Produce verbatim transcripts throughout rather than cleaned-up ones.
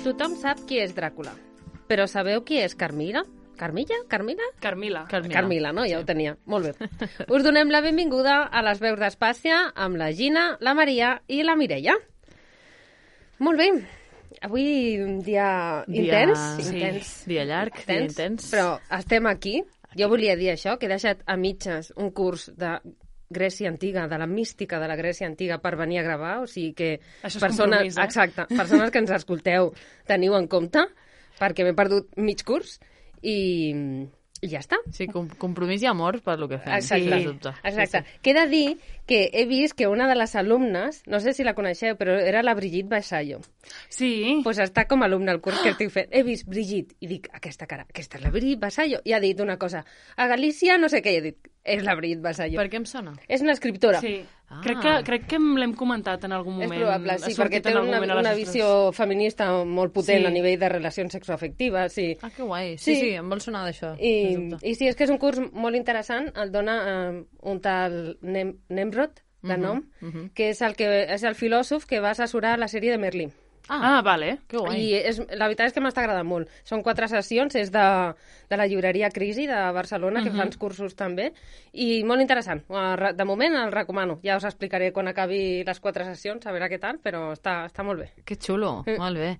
Tothom sap qui és Dràcula, però sabeu qui és Carmilla? Carmilla? Carmilla? Carmila. Carmila, Carmila no? Ja sí. Ho tenia. Molt bé. Us donem la benvinguda a les veus d'Espàcia amb la Gina, la Maria i la Mireia. Molt bé. Avui un dia, dia intens. Sí, intens. Dia llarg, intens, dia intens. Però estem aquí. Jo volia dir això, que he deixat a mitges un curs de Grècia Antiga, de la mística de la Grècia Antiga per venir a gravar, o sigui que això és persones, compromís, eh? Exacte, persones que ens escolteu teniu en compte, perquè m'he perdut mig curs i, i ja està. Sí, com, compromís i amor per lo que fem. Exacte, sí, dubte. exacte. Sí, sí. Queda dir que he vist que una de les alumnes, no sé si la coneixeu, però era la Brigitte Vasallo. Sí. Doncs pues està com a alumne al curs que estic fent. He vist Brigitte i dic, aquesta cara, aquesta és la Brigitte Vasallo. I ha dit una cosa, a Galícia no sé què, i he dit, és la Brigitte Vasallo. Per què em sona? És una escriptora. Sí. Ah. Crec que, crec que l'hem comentat en algun moment. És probable, sí, ha perquè té una, una visió feminista molt potent sí. a nivell de relacions sexoafectives. Sí. Ah, que guai. Sí, sí, sí, em vol sonar d'això. I, I sí, és que és un curs molt interessant, el dona eh, un tal Nem Nemrod, de nom, uh -huh, uh -huh. que és el, que és el filòsof que va assessorar la sèrie de Merlí. Ah, ah vale. Que guai. I és, la veritat és que m'està agradant molt. Són quatre sessions, és de, de la llibreria Crisi de Barcelona, que uh -huh. fan cursos també, i molt interessant. De moment el recomano. Ja us explicaré quan acabi les quatre sessions, a veure què tal, però està, està molt bé. Que xulo, mm. molt bé.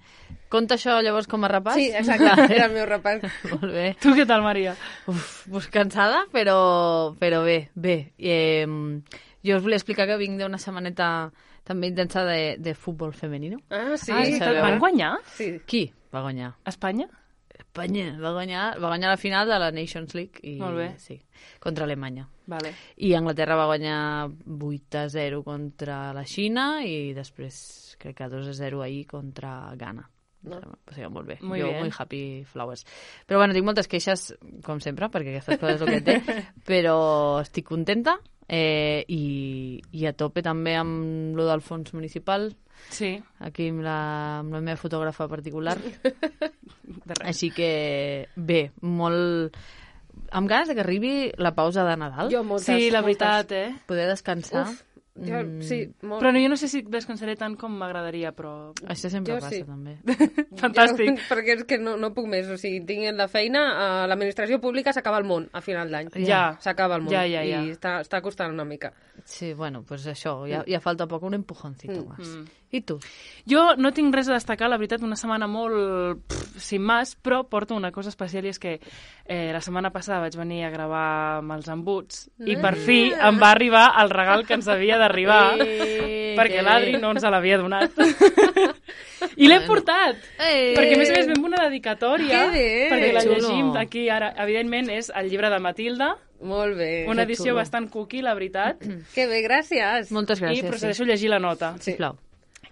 Conta això llavors com a repàs? Sí, exacte, era el meu repàs. Molt bé. Tu què tal, Maria? Uf, pues cansada, però, però bé, bé. Eh, jo us volia explicar que vinc d'una setmaneta també intensa de, de futbol femenino. Ah, sí? Ah, sí, van guanyar? Sí. Qui va guanyar? Espanya? Espanya va guanyar, va guanyar la final de la Nations League i, molt bé. Sí, contra Alemanya. Vale. I Anglaterra va guanyar vuit a zero contra la Xina i després crec que dos a zero ahir contra Ghana. No. O sigui, molt bé. Muy jo, bien. muy happy flowers. Però bueno, tinc moltes queixes, com sempre, perquè aquestes coses és el que té, però estic contenta eh, i, i a tope també amb lo del fons municipal. Sí. Aquí amb la, amb la meva fotògrafa particular. Així que, bé, molt... Amb ganes de que arribi la pausa de Nadal. Jo moltes, sí, la moltes. veritat, eh? Poder descansar. Uf, jo, mm. sí, molt. Però no, jo no sé si descansaré tant com m'agradaria, però... Això sempre Jo passa, sí. també. Fantàstic. Jo, perquè és que no, no puc més. O sigui, tinc la feina, a l'administració pública s'acaba el món a final d'any. Ja. S'acaba el món. Ja, ja, ja. I està, està costant una mica. Sí, bueno, pues això, ja, ja falta poc, un empujoncito Mm. más. Mm. I tu? Jo no tinc res a destacar, la veritat, una setmana molt pff, sin más, però porto una cosa especial i és que eh, la setmana passada vaig venir a gravar amb els embuts i per fi em va arribar el regal que ens havia d'arribar Eh, perquè que l'Adri bé. no ens l'havia donat. I l'he Bueno. portat! Eh. Perquè a més a més vam una dedicatòria Que bé! perquè la Xulo. llegim aquí ara. Evidentment és el llibre de Matilda, Molt bé. una Que edició xulo. bastant cookie, la veritat, Que bé, gràcies. Moltes gràcies. i procedeixo a llegir la nota. Sí. Sisplau.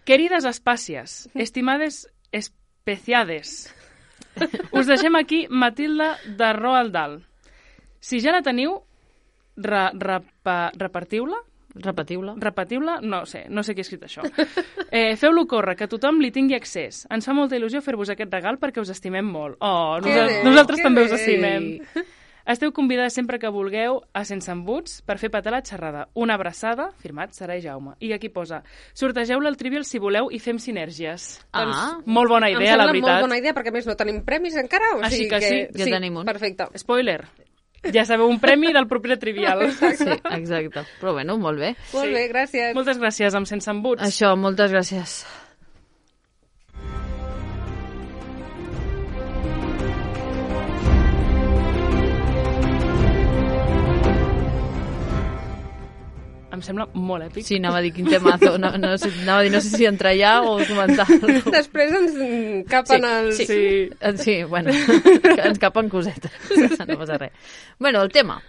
Querides espàcies, estimades especiades, us deixem aquí Matilda de Roald Dahl. Si ja la teniu, re, repa, repartiu-la? Repetiu-la. Repetiu-la? No sé, no sé qui ha escrit això. Eh, Feu-lo córrer, que tothom li tingui accés. Ens fa molta il·lusió fer-vos aquest regal perquè us estimem molt. Oh, Que nosa bé, nosaltres que també bé. us estimem. Esteu convidades sempre que vulgueu a Sense Embuts per fer petar la xerrada. Una abraçada, firmat Sara i Jaume. I aquí posa, sortegeu-la al Trivial si voleu i fem sinergies. Ah. Doncs, molt bona Em idea, sembla la veritat. molt bona idea, perquè a més no tenim premis encara. O Així sigui que sí, ja tenim un. Perfecte. Spoiler, ja sabeu, un premi del proper Trivial. Sí, exacte. Però bueno, molt bé. Molt Sí. bé, gràcies. Moltes gràcies, amb Sense Embuts. Això, moltes gràcies. Em sembla molt èpic. Sí, anava a dir quin temazo. No, no, sé, anava a dir, no sé si entrar ja o comentar-lo. Després ens mm, capen Sí, els... sí. Sí. Sí, bueno, ens capen cosetes. No passa res. Bueno, el tema.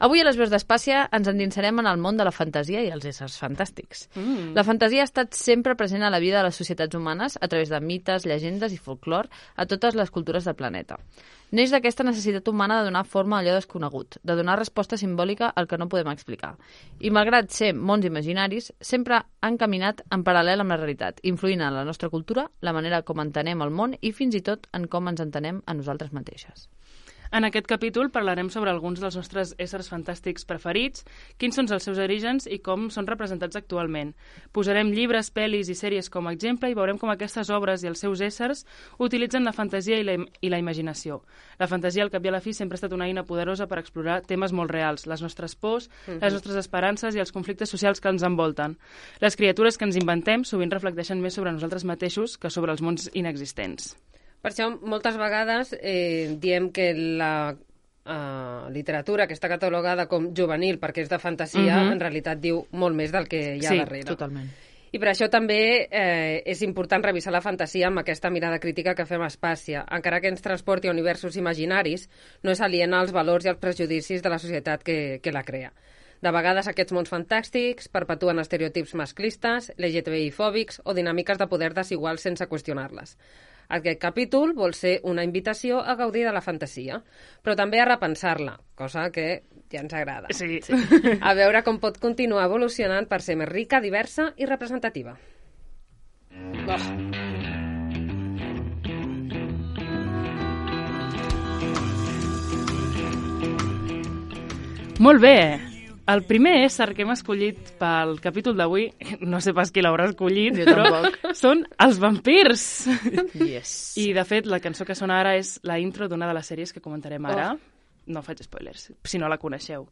Avui a les veus d'Espàcia ens endinsarem en el món de la fantasia i els éssers fantàstics. Mm. La fantasia ha estat sempre present a la vida de les societats humanes a través de mites, llegendes i folklore a totes les cultures del planeta. Neix d'aquesta necessitat humana de donar forma a allò desconegut, de donar resposta simbòlica al que no podem explicar. I malgrat ser mons imaginaris, sempre han caminat en paral·lel amb la realitat, influint en la nostra cultura, la manera com entenem el món i fins i tot en com ens entenem a nosaltres mateixes. En aquest capítol parlarem sobre alguns dels nostres éssers fantàstics preferits, quins són els seus orígens i com són representats actualment. Posarem llibres, pel·lis i sèries com a exemple i veurem com aquestes obres i els seus éssers utilitzen la fantasia i la, i la imaginació. La fantasia, al cap i a la fi, sempre ha estat una eina poderosa per explorar temes molt reals, les nostres pors, uh-huh. les nostres esperances i els conflictes socials que ens envolten. Les criatures que ens inventem sovint reflecteixen més sobre nosaltres mateixos que sobre els mons inexistents. Per això, moltes vegades eh, diem que la uh, literatura que està catalogada com juvenil perquè és de fantasia, uh-huh. en realitat diu molt més del que hi ha sí, darrere. Sí, totalment. I per això també eh, és important revisar la fantasia amb aquesta mirada crítica que fem a Espàcia. Encara que ens transporti a universos imaginaris, no és aliena als valors i als prejudicis de la societat que, que la crea. De vegades aquests mons fantàstics perpetuen estereotips masclistes, L G T B I-fòbics o dinàmiques de poder desiguals sense qüestionar-les. Aquest capítol vol ser una invitació a gaudir de la fantasia, però també a repensar-la, cosa que ja ens agrada. Sí. sí. A veure com pot continuar evolucionant per ser més rica, diversa i representativa. Oh. Molt bé! El primer ésser que hem escollit pel capítol d'avui, no sé pas qui l'haurà escollit, jo però tampoc. Són els vampirs. Yes. I, de fet, la cançó que sona ara és la intro d'una de les sèries que comentarem ara. Oh. No faig spoilers, si no la coneixeu.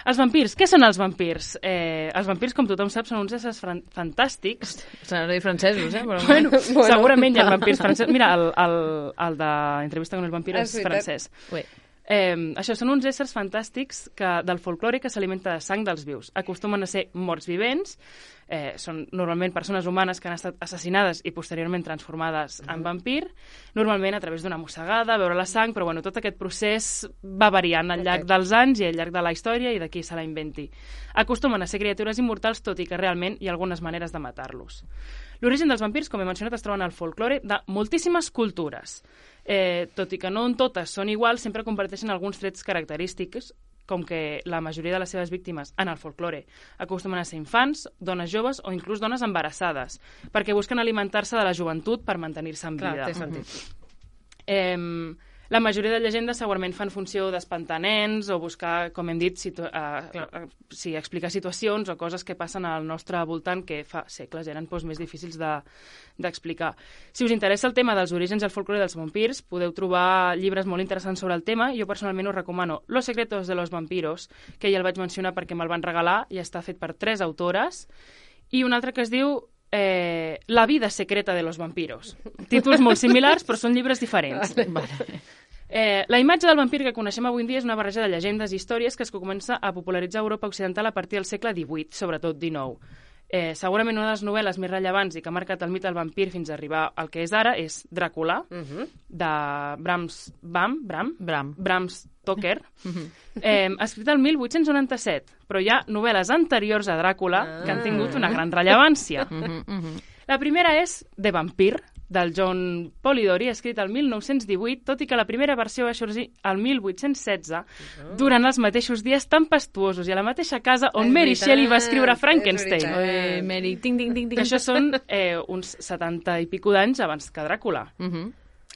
Els vampirs. Què són els vampirs? Eh, els vampirs, com tothom sap, són uns éssers fantàstics. S'han de dir francesos, eh? Però... Bueno, bueno, segurament hi ha vampirs francesos. Mira, el, el, el de Entrevista con el vampiro és francès. Ué. Eh, això són uns éssers fantàstics que, del folklore que s'alimenta de sang dels vius. Acostumen a ser morts vivents, eh, són normalment persones humanes que han estat assassinades i posteriorment transformades uh-huh. en vampir, normalment a través d'una mossegada, beure la sang, però bueno, tot aquest procés va variant al llarg okay. dels anys i al llarg de la història i de qui se la inventi. Acostumen a ser criatures immortals, tot i que realment hi ha algunes maneres de matar-los. L'origen dels vampirs, com he mencionat, es troben al folklore de moltíssimes cultures. Eh, tot i que no en totes són iguals, sempre comparteixen alguns trets característics, com que la majoria de les seves víctimes en el folklore acostumen a ser infants, dones joves o inclús dones embarassades, perquè busquen alimentar-se de la joventut per mantenir-se en vida. Clar, té sentit. Eh, la majoria de llegendes segurament fan funció d'espantar nens o buscar, com hem dit, situ uh, uh, sí, explicar situacions o coses que passen al nostre voltant que fa segles eren doncs, més difícils d'explicar. De, si us interessa el tema dels orígens del folklore dels vampirs, podeu trobar llibres molt interessants sobre el tema. Jo personalment us recomano Los secretos de los vampiros, que ja el vaig mencionar perquè me'l van regalar i està fet per tres autores, i un altre que es diu Eh, La vida secreta de los vampiros. Títols molt similars, però són llibres diferents. Vale. Eh, la imatge del vampir que coneixem avui en dia és una barreja de llegendes i històries que es comença a popularitzar a Europa Occidental a partir del segle divuit, sobretot dinou. Eh, segurament una de les novel·les més rellevants i que ha marcat el mite del vampir fins a arribar al que és ara és Dràcula, uh-huh. de Brams, Bam, Bram, Bram. Bram Stoker, uh-huh. eh, escrita el mil vuit-cents noranta-set, però hi ha novel·les anteriors a Dràcula ah. que han tingut una gran rellevància. Uh-huh, uh-huh. La primera és The Vampire, del John Polidori, escrit el mil nou-cents divuit, tot i que la primera versió va sorgir el mil vuit-cents setze, uh-huh. durant els mateixos dies tempestuosos i a la mateixa casa on és Mary veritat, Shelley va escriure Frankenstein. Oi, Mary, ting, ting, ting, ting. Això són eh, uns setanta i pico d'anys abans que Dràcula. Uh-huh.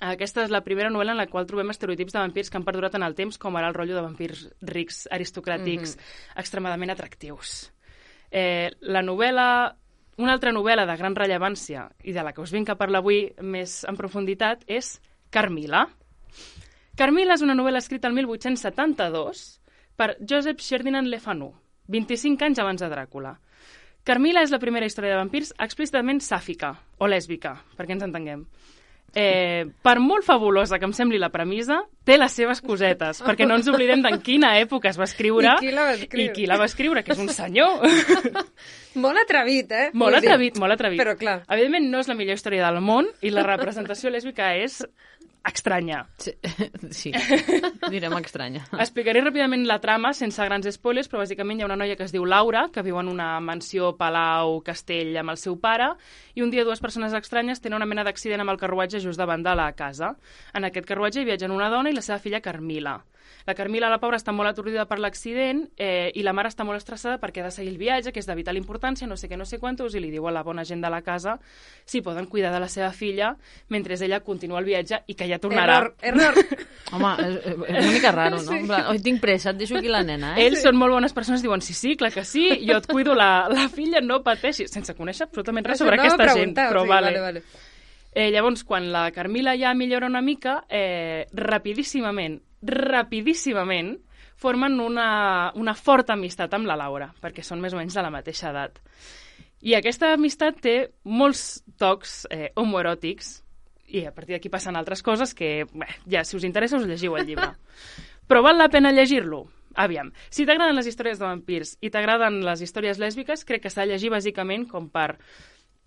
Aquesta és la primera novel·la en la qual trobem estereotips de vampirs que han perdurat en el temps, com ara el rotllo de vampirs rics, aristocràtics, uh-huh. extremadament atractius. Eh, la novel·la... Una altra novel·la de gran rellevància i de la que us vinc a parlar avui més en profunditat és Carmilla. Carmilla és una novel·la escrita el mil vuit-cents setanta-dos per Joseph Ferdinand Le Fanu, vint-i-cinc anys abans de Dràcula. Carmilla és la primera història de vampirs explícitament sàfica o lèsbica, perquè ens entenguem. Eh, per molt fabulosa que em sembli la premissa, té les seves cosetes, perquè no ens oblidem d'en quina època es va escriure i qui la va escriure, i qui la va escriure que és un senyor. Molt atrevit, eh? Molt atrevit, molt atrevit. Però clar. Evidentment no és la millor història del món i la representació lèsbica és estranya. Sí, sí. Direm estranya. Explicaré ràpidament la trama sense grans spoilers, però bàsicament hi ha una noia que es diu Laura, que viu en una mansió, palau, castell amb el seu pare, i un dia dues persones estranyes tenen una mena d'accident amb el carruatge just davant de la casa. En aquest carruatge hi viatgen una dona i la seva filla Carmilla. La Carmila, la pobra, està molt atordida per l'accident eh, i la mare està molt estressada perquè ha de seguir el viatge, que és de vital importància, no sé què, no sé quantos, i li diu a la bona gent de la casa si poden cuidar de la seva filla mentre ella continua el viatge i que ja tornarà. Error, error. Home, és, és una mica raro, no? En plan, oi, tinc pressa, et deixo aquí la nena, eh? Ells són molt bones persones, diuen, sí, sí, clar que sí, jo et cuido la, la filla, no pateixi, sense conèixer absolutament res sobre aquesta gent. Però sí, vale. vale, vale. Eh, llavors, quan la Carmila ja millora una mica, eh, rapidíssimament, rapidíssimament, formen una, una forta amistat amb la Laura, perquè són més o menys de la mateixa edat. I aquesta amistat té molts tocs eh, homoeròtics, i a partir d'aquí passen altres coses que, bé, ja, si us interessa, us llegiu el llibre. Però val la pena llegir-lo? Aviam, si t'agraden les històries de vampirs i t'agraden les històries lèsbiques, crec que s'ha de llegir bàsicament com per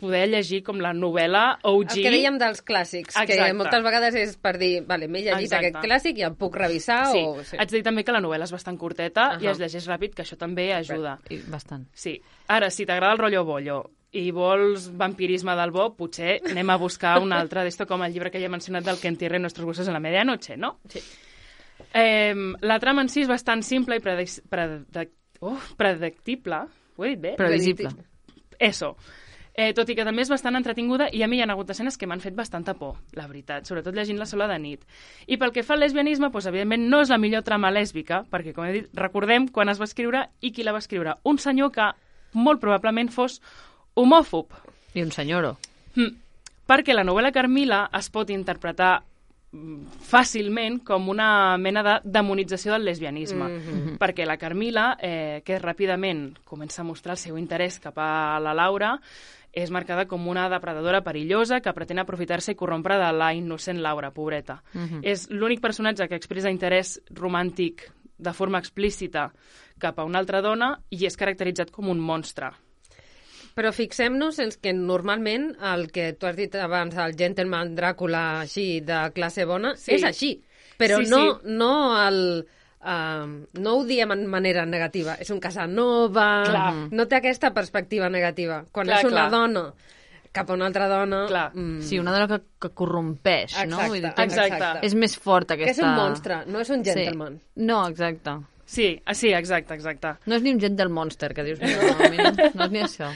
poder llegir com la novel·la O G. El que dèiem dels clàssics, Exacte. que moltes vegades és per dir, vale, m'he llegit Exacte. aquest clàssic i el puc revisar Sí. o... Sí, haig de dir també que la novel·la és bastant curteta Ahà. i es llegeix ràpid, que això també ajuda. I bastant. Sí. Ara, si t'agrada el rotllo bollo i vols vampirisme del bo, potser anem a buscar un altre d'esto, com el llibre que ja he mencionat del que entierren nuestros huesos en la medianoche, no? sí. Eh, la trama en si és bastant simple i predic predic oh, predictible. Ho he dit bé? Previsible. Eso. Eh, tot i que també és bastant entretinguda i a mi hi ha hagut escenes que m'han fet bastanta por, la veritat, sobretot llegint-la sola de nit. I pel que fa al lesbianisme, doncs, evidentment no és la millor trama lèsbica, perquè, com he dit, recordem quan es va escriure i qui la va escriure. Un senyor que molt probablement fos homòfob. I un senyoro. Mm. Perquè la novel·la Carmila es pot interpretar fàcilment com una mena de demonització del lesbianisme, Mm-hmm. perquè la Carmila, eh, que ràpidament comença a mostrar el seu interès cap a la Laura, és marcada com una depredadora perillosa que pretén aprofitar-se i corrompre de la innocent Laura, pobreta. Mhm. És l'únic personatge que expressa interès romàntic de forma explícita cap a una altra dona i és caracteritzat com un monstre. Però fixem-nos en que normalment el que tu has dit abans, el gentleman Dràcula així de classe bona, Sí. és així. Però Sí, no, sí. no el... Uh, no ho diem en manera negativa. És un Casanova, Clar. no té aquesta perspectiva negativa. Quan Clar, és una clar. dona cap a una altra dona... Clar. Mm, Sí, una dona que, que corrompeix, no? Exacte, Vull dir, exacte. És més fort aquesta... que és un monstre, no és un gentleman. Sí. No, exacte. Sí, ah, sí, exacte, exacte. No és ni un gentle monster, que dius, no, no, mira, no és ni això.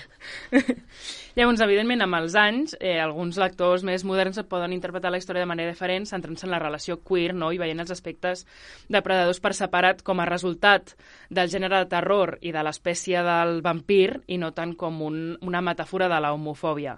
Llavors, evidentment, amb els anys, eh, alguns lectors més moderns poden interpretar la història de manera diferent, centrant-se en la relació queer, no?, i veient els aspectes depredadors per separat com a resultat del gènere de terror i de l'espècie del vampir, i no tant com un, una metàfora de la homofòbia.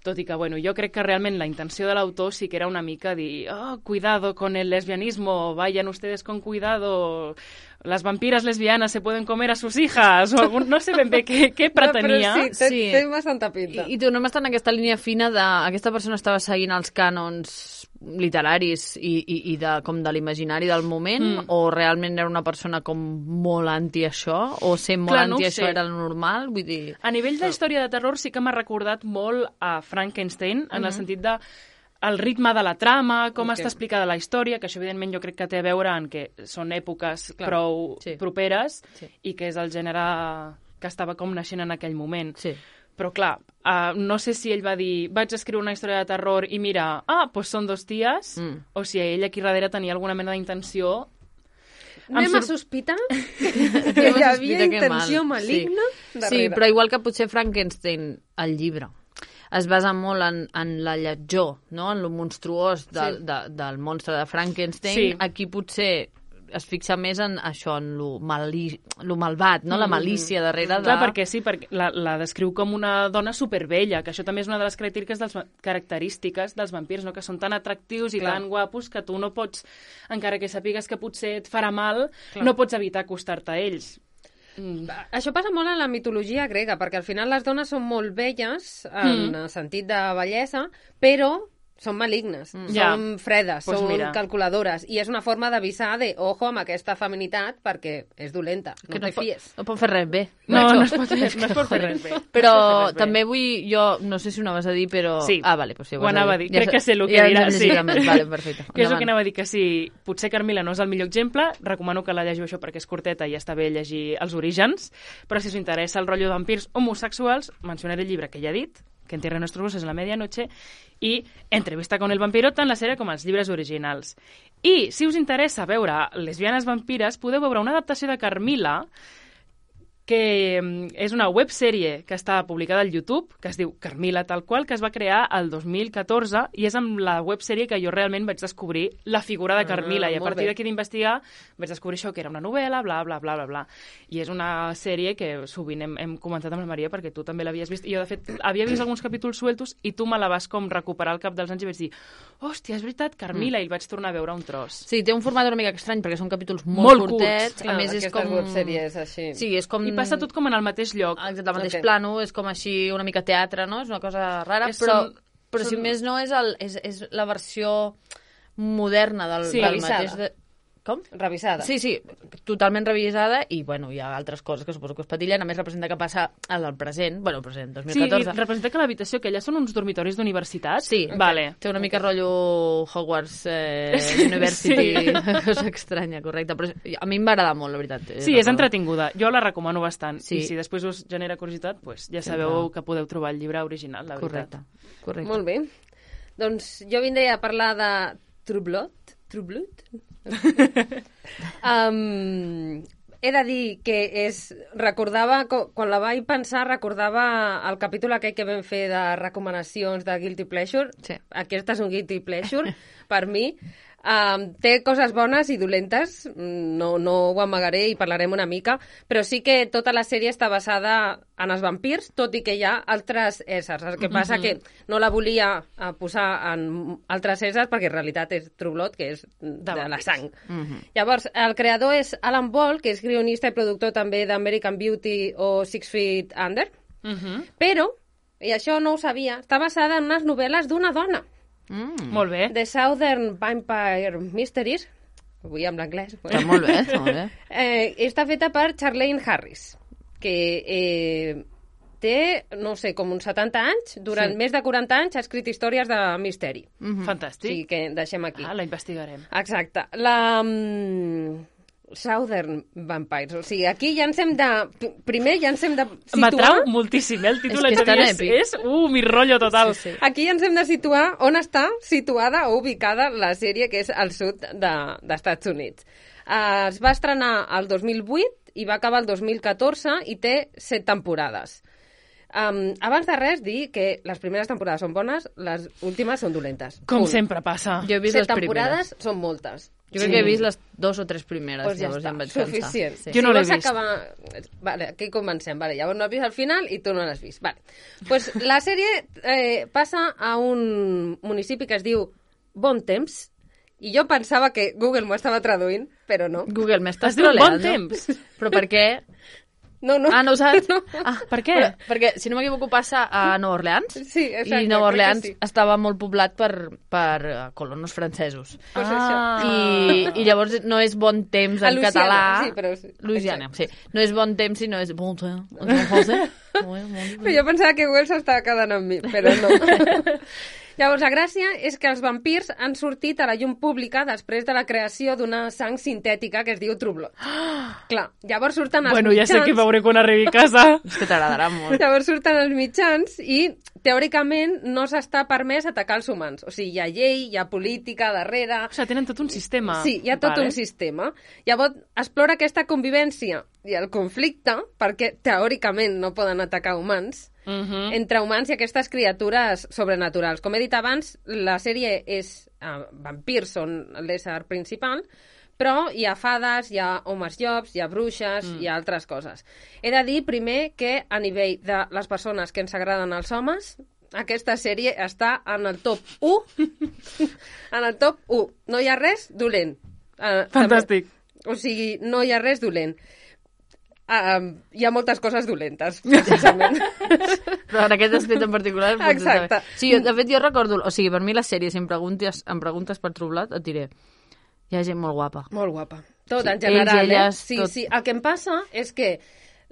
Tot i que, bueno, jo crec que realment la intenció de l'autor sí que era una mica dir, oh, cuidado con el lesbianismo, vayan ustedes con cuidado, las vampiras lesbianas se pueden comer a sus hijas, o algun, no sé ben bé què, què pretenia. No, però sí, té, Sí. té bastanta pinta. I, i tornem a estar en aquesta línia fina de... Aquesta persona estava seguint els cànons literaris i, i, i de, com de l'imaginari del moment, Mm. o realment era una persona com molt anti això, o ser molt Clar, no anti ho això sé. era el normal, vull dir... A nivell de història de terror sí que m'ha recordat molt a Frankenstein, en el sentit de el ritme de la trama, com Ok. està explicada la història, que això evidentment jo crec que té a veure en que són èpoques Clar, prou sí. properes Sí. i que és el gènere que estava com naixent en aquell moment. Sí. Però clar, uh, no sé si ell va dir vaig escriure una història de terror i mira, ah, doncs són dos ties, Mm. o si ell aquí darrere tenia alguna mena d'intenció. Em Anem a sor- sospitar que Anem a hi havia sospitar que intenció mal. maligna Sí. darrere. Sí, però igual que potser Frankenstein, el llibre, es basa molt en, en la lletjor, no? En lo monstruós de, Sí. de, del monstre de Frankenstein. Sí. Aquí potser es fixa més en això, en lo, mali, lo malvat, no? La malícia darrere de... Clar, perquè sí, perquè la, la descriu com una dona superbella, que això també és una de les característiques dels, va- característiques dels vampirs, no? Que són tan atractius i Clar. tan guapos que tu no pots, encara que sapigues que potser et farà mal, Clar. no pots evitar acostar-te a ells. Mm. Això passa molt en la mitologia grega, perquè al final les dones són molt belles, en Mm. el sentit de bellesa, però són malignes, mm. Ja. són fredes, Pues són mira. calculadores, i és una forma d'avisar de, ojo amb aquesta feminitat, perquè és dolenta, no que no, te pot, fies. no pot fer res bé. No, Macho. no es pot, fer- no es pot fer res bé. Però No es pot fer res bé. també vull, jo, no sé si ho anaves a dir, però... Sí. Ah, vale, pues sí, ho Ho vas anava a dir. Crec sa- que sé el que ja dirà, ens hem sí. llegit més. Vale, perfecte. Que és el Endavant. que anava a dir, que si potser Carmila no és el millor exemple, recomano que la llegiu això perquè és curteta i està bé llegir els orígens, però si us interessa el rotllo de vampirs homosexuals, mencionaré el llibre que ja he dit, que en Tierra de Nuestros Huesos és la medianoche, i Entrevista con el vampiro, tant la sèrie com els llibres originals. I, si us interessa veure Lesbianes vampires, podeu veure una adaptació de Carmila, que és una websèrie que està publicada al YouTube, que es diu Carmila tal qual, que es va crear el dos mil catorze, i és amb la websèrie que jo realment vaig descobrir la figura de Carmila, ah, i a partir d'aquí d'investigar vaig descobrir això, que era una novel·la, bla, bla, bla, bla, bla. I és una sèrie que sovint hem, hem comentat amb la Maria, perquè tu també l'havies vist, i jo, de fet, havia vist alguns capítols sueltos, i tu me la vas com recuperar al cap dels anys i vaig dir, hòstia, és veritat, Carmila, mm. i el vaig tornar a veure un tros. Sí, té un format una mica estrany, perquè són capítols molt, molt curtets. Curts. A més, és com... websèries així. Sí, és com... I passa tot com en el mateix lloc. Exacte, el mateix okay. plano, és com així una mica teatre, no? És una cosa rara, és però, són, però són... si més no és, el, és, és la versió moderna del, sí, del mateix... De... Com? Revisada. Sí, sí, totalment revisada, i bueno, hi ha altres coses que suposo que es patillen, a més representa que passa al present, bueno, el present, dos mil catorze. Sí, representa que l'habitació, que allà són uns dormitoris d'universitat. Sí, vale. Té una mica rotllo Hogwarts eh, University, sí. Cosa estranya, correcte, però a mi em va agradar molt, la veritat. Sí, és entretinguda, jo la recomano bastant, sí. I si després us genera curiositat, pues ja sabeu que podeu trobar el llibre original, la correcte. veritat. Correcte. Molt bé. Doncs jo vindria a parlar de True Blood. True Blood? um, he de dir que és, recordava, quan la vaig pensar, recordava el capítol aquell que vam fer de recomanacions de Guilty Pleasure. Sí. Aquest és un Guilty Pleasure, per mi. Um, té coses bones i dolentes, no, no ho amagaré i parlarem una mica, però sí que tota la sèrie està basada en els vampirs, tot i que hi ha altres éssers. El que passa mm-hmm. que no la volia posar en altres éssers perquè en realitat és True Blood, que és de, de la sang. Mm-hmm. Llavors, el creador és Alan Ball, que és guionista i productor també d'American Beauty o Six Feet Under, mm-hmm. però, i això no ho sabia, està basada en unes novel·les d'una dona. Mm. Molt bé. The Southern Vampire Mysteries, avui amb l'anglès. Està molt bé, està molt bé. Eh, està feta per Charlaine Harris, que eh, té, no sé, com uns setanta anys, durant sí. més de quaranta anys ha escrit històries de misteri. Mm-hmm. Fantàstic. Sí, que deixem aquí. Ah, la investigarem. Exacte. La... Um, Southern Vampires. O sigui, aquí ja ens hem de... Primer ja ens hem de situar... M'atrau moltíssim, eh? El títol és, que és, és... Uh, mi rotllo total. Sí, sí. Aquí ja ens hem de situar on està situada o ubicada la sèrie, que és al sud de, d'Estats Units. Uh, es va estrenar el dos mil vuit i va acabar el dos mil catorze i té set temporades. Um, abans de res, dir que les primeres temporades són bones, les últimes són dolentes. Com Punt. sempre passa. Jo he vist set les temporades primeres. Són moltes. Jo crec sí. que he vist les dos o tres primeres, pues ja llavors està, ja em vaig suficient. cansar. Sí. Jo no si l'he vist. vist. Acabar... Vale, aquí comencem. Vale, llavors no has vist al final i tu no l'has vist. Vale. Pues la sèrie eh, passa a un municipi que es diu Bon Temps, i jo pensava que Google m'ho estava traduint, però no. Google, m'estàs Es diu troleant, Bon Temps. Però per què? No, no. Ah, no ho saps? No. Ah, per què? Però, perquè, si no m'equivoco, passa a Nova Orleans. Sí, exacte. I Nova Orleans sí. estava molt poblat per, per colonos francesos. Pues ah. I, I llavors no és bon temps en català. Sí, però sí. Louisiana, sí. No és bon temps, sinó és bon temps. En français. Però jo pensava que Google s'estava quedant amb mi, però no. Llavors, la gràcia és que els vampirs han sortit a la llum pública després de la creació d'una sang sintètica que es diu True Blood. Clar, llavors surten els bueno, mitjans... Bueno, ja sé que veuré quan arribi a casa. És que t'agradarà molt. Llavors surten els mitjans i, teòricament, no s'està permès atacar els humans. O sigui, hi ha llei, hi ha política darrere... O sigui, tenen tot un sistema. Sí, hi ha tot vale. un sistema. Llavors, explora aquesta convivència i el conflicte, perquè teòricament no poden atacar humans, Uh-huh. entre humans i aquestes criatures sobrenaturals. Com he dit abans, la sèrie és... Uh, vampirs són l'ésser principal, però hi ha fades, hi ha homes llops, hi ha bruixes, mm. hi ha altres coses. He de dir, primer, que a nivell de les persones que ens agraden els homes, aquesta sèrie està en el top u. En el top u. No hi ha res dolent. Uh, Fantàstic. També. O sigui, no hi ha res dolent. Uh, hi ha moltes coses dolentes, precisament. Però en aquest aspecte en particular... Exacte. Sí, de fet, jo recordo... O sigui, per mi la sèrie, si em preguntes, em preguntes per True Blood, et diré... Hi ha gent molt guapa. Molt guapa. Tot, sí, en general, ells, elles, eh? Sí, tot. sí. El que em passa és que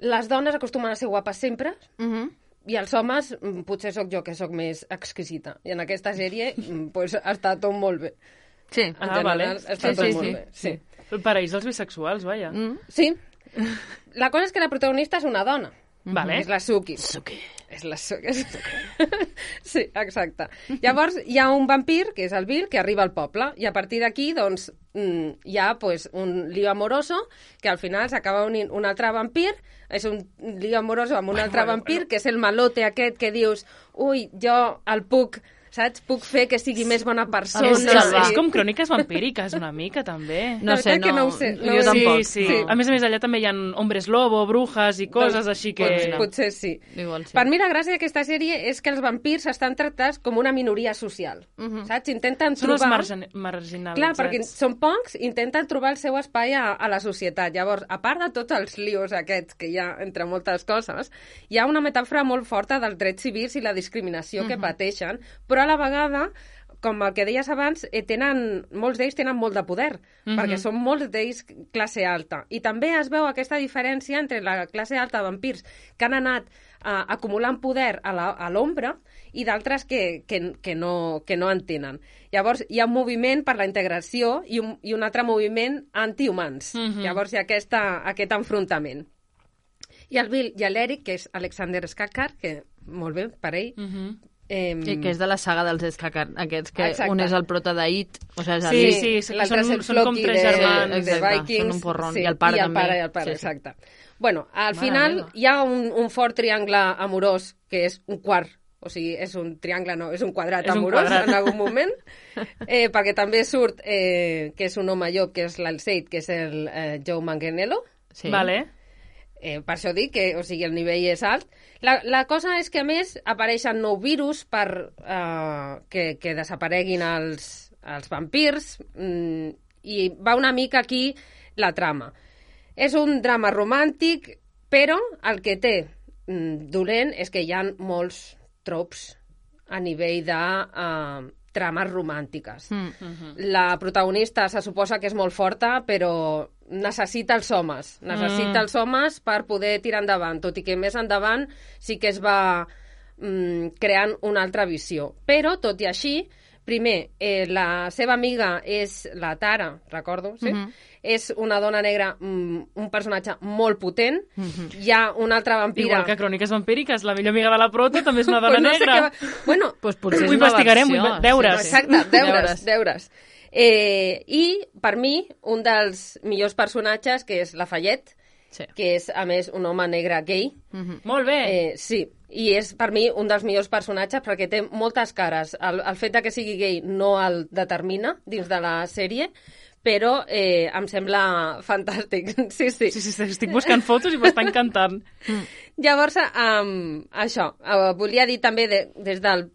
les dones acostumen a ser guapes sempre, uh-huh. i els homes, potser sóc jo que sóc més exquisita. I en aquesta sèrie, pues, està tot molt bé. Sí. En ah, general, vale. està sí, tot sí, molt sí. bé. Sí. El paraís dels bisexuals, vaja. Mm. Sí. La cosa és que la protagonista és una dona. Vale. És la Suki. Suki. És la... Sí, exacte. Llavors, hi ha un vampir, que és el Bill, que arriba al poble, i a partir d'aquí, doncs, hi ha pues, un lío amoroso, que al final s'acaba unint un altre vampir, és un lío amoroso amb un bueno, altre bueno, vampir, bueno. que és el malote aquest que dius, ui, jo el puc... saps? Puc fer que sigui més bona persona. És, és, va. és com cròniques vampíriques, una mica, també. No sé, no, no ho sé, no jo ho sé. tampoc. Sí, sí. No. A més a més, allà també hi ha hombres lobo, brujas i coses Doncs, així que... Potser, potser sí. Igual sí. Per mi la gràcia d'aquesta sèrie és que els vampirs estan tractats com una minoria social, Uh -huh. saps? Intenten Són els trobar... margin marginalitzats. Clar, perquè són pocs, intenten trobar el seu espai a, a la societat. Llavors, a part de tots els lios aquests que hi ha entre moltes coses, hi ha una metàfora molt forta dels drets civils i la discriminació uh -huh. que pateixen, però a la vegada, com el que deies abans, eh, tenen, molts d'ells tenen molt de poder, uh -huh. perquè són molts d'ells classe alta. I també es veu aquesta diferència entre la classe alta de vampirs que han anat uh, acumulant poder a l'ombra i d'altres que, que, que, no, que no en tenen. Llavors, hi ha un moviment per la integració i un, i un altre moviment antihumans. Uh -huh. Llavors, hi ha aquesta, aquest enfrontament. I el Bill i l'Eric, que és Alexander Skarsgård, que molt bé, per ell, Uh -huh. Eh, I que és de la saga dels Skarsgård, aquests que Exacte. un és el prota d'It, o sigui, és Sí, el... sí, sí, l'altre és són- el són com Floki tres de, germans. de Exacte, Vikings. són un porrón. Sí, I el pare i el també. pare, i el pare, Sí, sí. exacte. Bueno, al Mare final meva. hi ha un, un fort triangle amorós, que és un quart, o sigui, és un triangle, no, és un quadrat És un amorós quadrat. en algun moment, eh, perquè també surt eh, que és un home llop, que és l'Alceit, que és el eh, Joe Manganiello. Sí. Vale. Eh, per això dic que, o sigui, el nivell és alt. La, la cosa és que, a més, apareixen nou virus per eh, que, que desapareguin els, els vampirs mm, i va una mica aquí la trama. És un drama romàntic, però el que té mm, dolent és que hi ha molts tropes a nivell de eh, trames romàntiques. Mm. Uh-huh. La protagonista se suposa que és molt forta, però necessita els homes. Necessita Mm. els homes per poder tirar endavant, tot i que més endavant sí que es va mm, creant una altra visió. Però, tot i així, primer, eh, la seva amiga és la Tara, recordo, sí? Mhm. És una dona negra, mm, un personatge molt potent. Hi ha una altra vampira... Igual que Cròniques vampíriques, la millor amiga de la prota també és una dona Pues no sé negra. què va- Bueno, Pues potser Ho és una investigarem, versió. ho inve- deures. Sí, sí. exacte, deures, Deures. deures. Eh, I, per mi, un dels millors personatges, que és Lafayette, Sí. que és, a més, un home negre gay. Mhm. Molt bé. Eh, sí, i és, per mi, un dels millors personatges perquè té moltes cares. El, el fet de que sigui gay no el determina dins de la sèrie, però eh, em sembla fantàstic. Sí, sí. Sí, sí, sí, estic buscant fotos i m'està encantant. Llavors, um, això, uh, volia dir també de, des del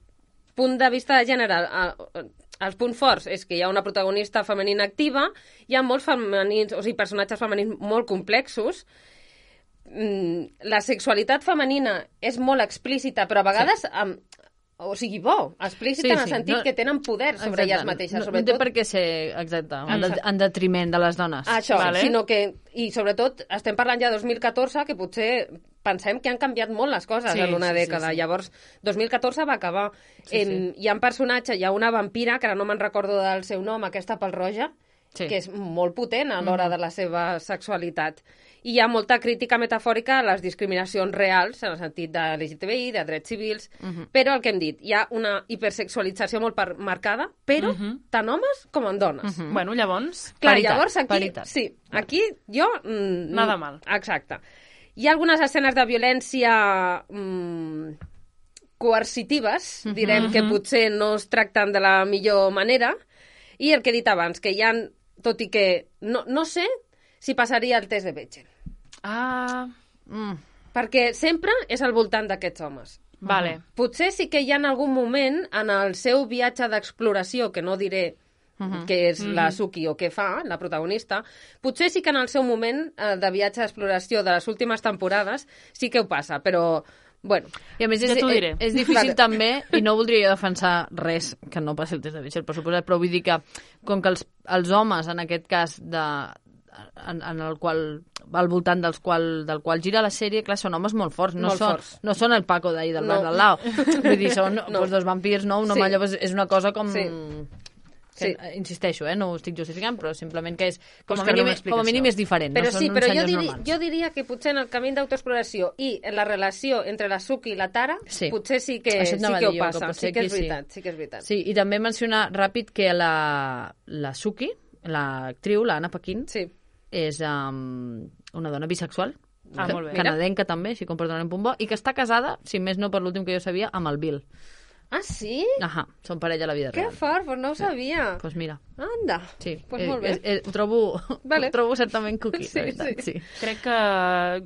punt de vista de gènere, uh, els punts forts és que hi ha una protagonista femenina activa, hi ha molts femenins, o sigui, personatges femenins molt complexos, mm, la sexualitat femenina és molt explícita, però a vegades, sí. amb, o sigui, bo, explícita Sí, en el sí, sentit no- que tenen poder sobre Exacte. elles mateixes, No, sobretot. no té per què ser, exacte, en, de, Exacte. en detriment de les dones. Això, Vale. sinó que, i sobretot, estem parlant ja de dos mil catorze, que potser pensem que han canviat molt les coses Sí, en una sí, sí, dècada. sí. Llavors, dos mil catorze va acabar. Sí, em, Hi ha un personatge, hi ha una vampira, que ara no me'n recordo del seu nom, aquesta pelroja, Sí. que és molt potent a l'hora de la seva sexualitat. I hi ha molta crítica metafòrica a les discriminacions reals, en el sentit de L G T B I, de drets civils, però el que hem dit, hi ha una hipersexualització molt per- marcada, però Mhm. tant homes com en dones. Bueno, llavors... Clar, Paritat, llavors aquí... paritat. Sí, aquí jo... Mm, Nada mal. Exacte. Hi ha algunes escenes de violència mm, coercitives, direm, que potser no es tracten de la millor manera, i el que he dit abans, que hi ha, tot i que no, no sé si passaria el test de Bechdel, Ah, Mm. perquè sempre és al voltant d'aquests homes. vale. Potser sí que hi ha en algun moment en el seu viatge d'exploració, que no diré que és la Suki o què fa, la protagonista, potser sí que en el seu moment eh, de viatge d'exploració de les últimes temporades sí que ho passa, però, bueno, I a més Ja és, t'ho diré. és, és difícil Vale. també, i no voldria jo defensar res que no passi el test de Bechdel, per suposat, però vull dir que com que els, els homes, en aquest cas, de, en, en el qual al voltant dels qual, del qual gira la sèrie, clar, són homes molt forts, no, Molt són, forts. no són el Paco d'ahir del No. bar del Lao. Vull dir, són No. pues, dos vampirs, no? Un home, Sí. llavors és una cosa com... Sí. Que, Sí. eh, insisteixo, eh, no ho estic justificant, però simplement que és, com a, Buscar una mínim, com a mínim és diferent. Però no sí, són però uns jo, senyors diri, normals. jo diria que potser en el camí d'autoexploració i en la relació entre la Suki i la Tara, Sí. potser sí que, Això et sí anava que a ho dir jo, que passa. potser Sí que és aquí sí. veritat, sí que és veritat. Sí, i també mencionar ràpid que la, la Suki, l'actriu, la Anna Paquin, Sí. és um, una dona bisexual, Ah, ca- molt bé. canadenca també, així com per donar un punt bo, i que està casada, si més no per l'últim que jo sabia, amb el Bill. Ah, sí? Ahà, són parella a la vida Que real. fort, pues no ho sabia. Doncs pues mira, Anda, sí. pues eh, molt bé. eh, eh, ho, trobo, Vale. ho trobo certament cookie, Sí, la veritat, sí. sí. Crec que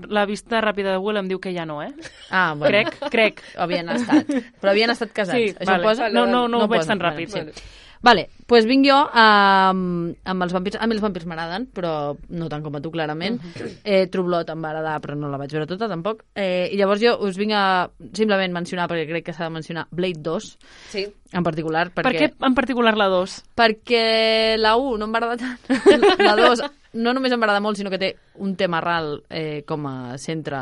la vista ràpida de Google em diu que ja no, eh? Ah, bueno. Crec, crec. Havien estat. Però havien estat casats. Sí, Això vale. posa? No, no, no ho veig posa. tan ràpid. Vale, sí. Vale, doncs pues vinc jo amb, amb els vampirs. A mi els vampirs m'agraden, però no tant com a tu, clarament. Uh -huh. eh, True Blood em va agradar, però no la vaig veure tota, tampoc. Eh, I llavors jo us vinc a simplement mencionar, perquè crec que s'ha de mencionar, Blade dos, Sí. en particular. Per Perquè, què en particular la dos? Perquè la u no em va agradar tant. La dos no només em va agradar molt, sinó que té un tema ral eh, com a centre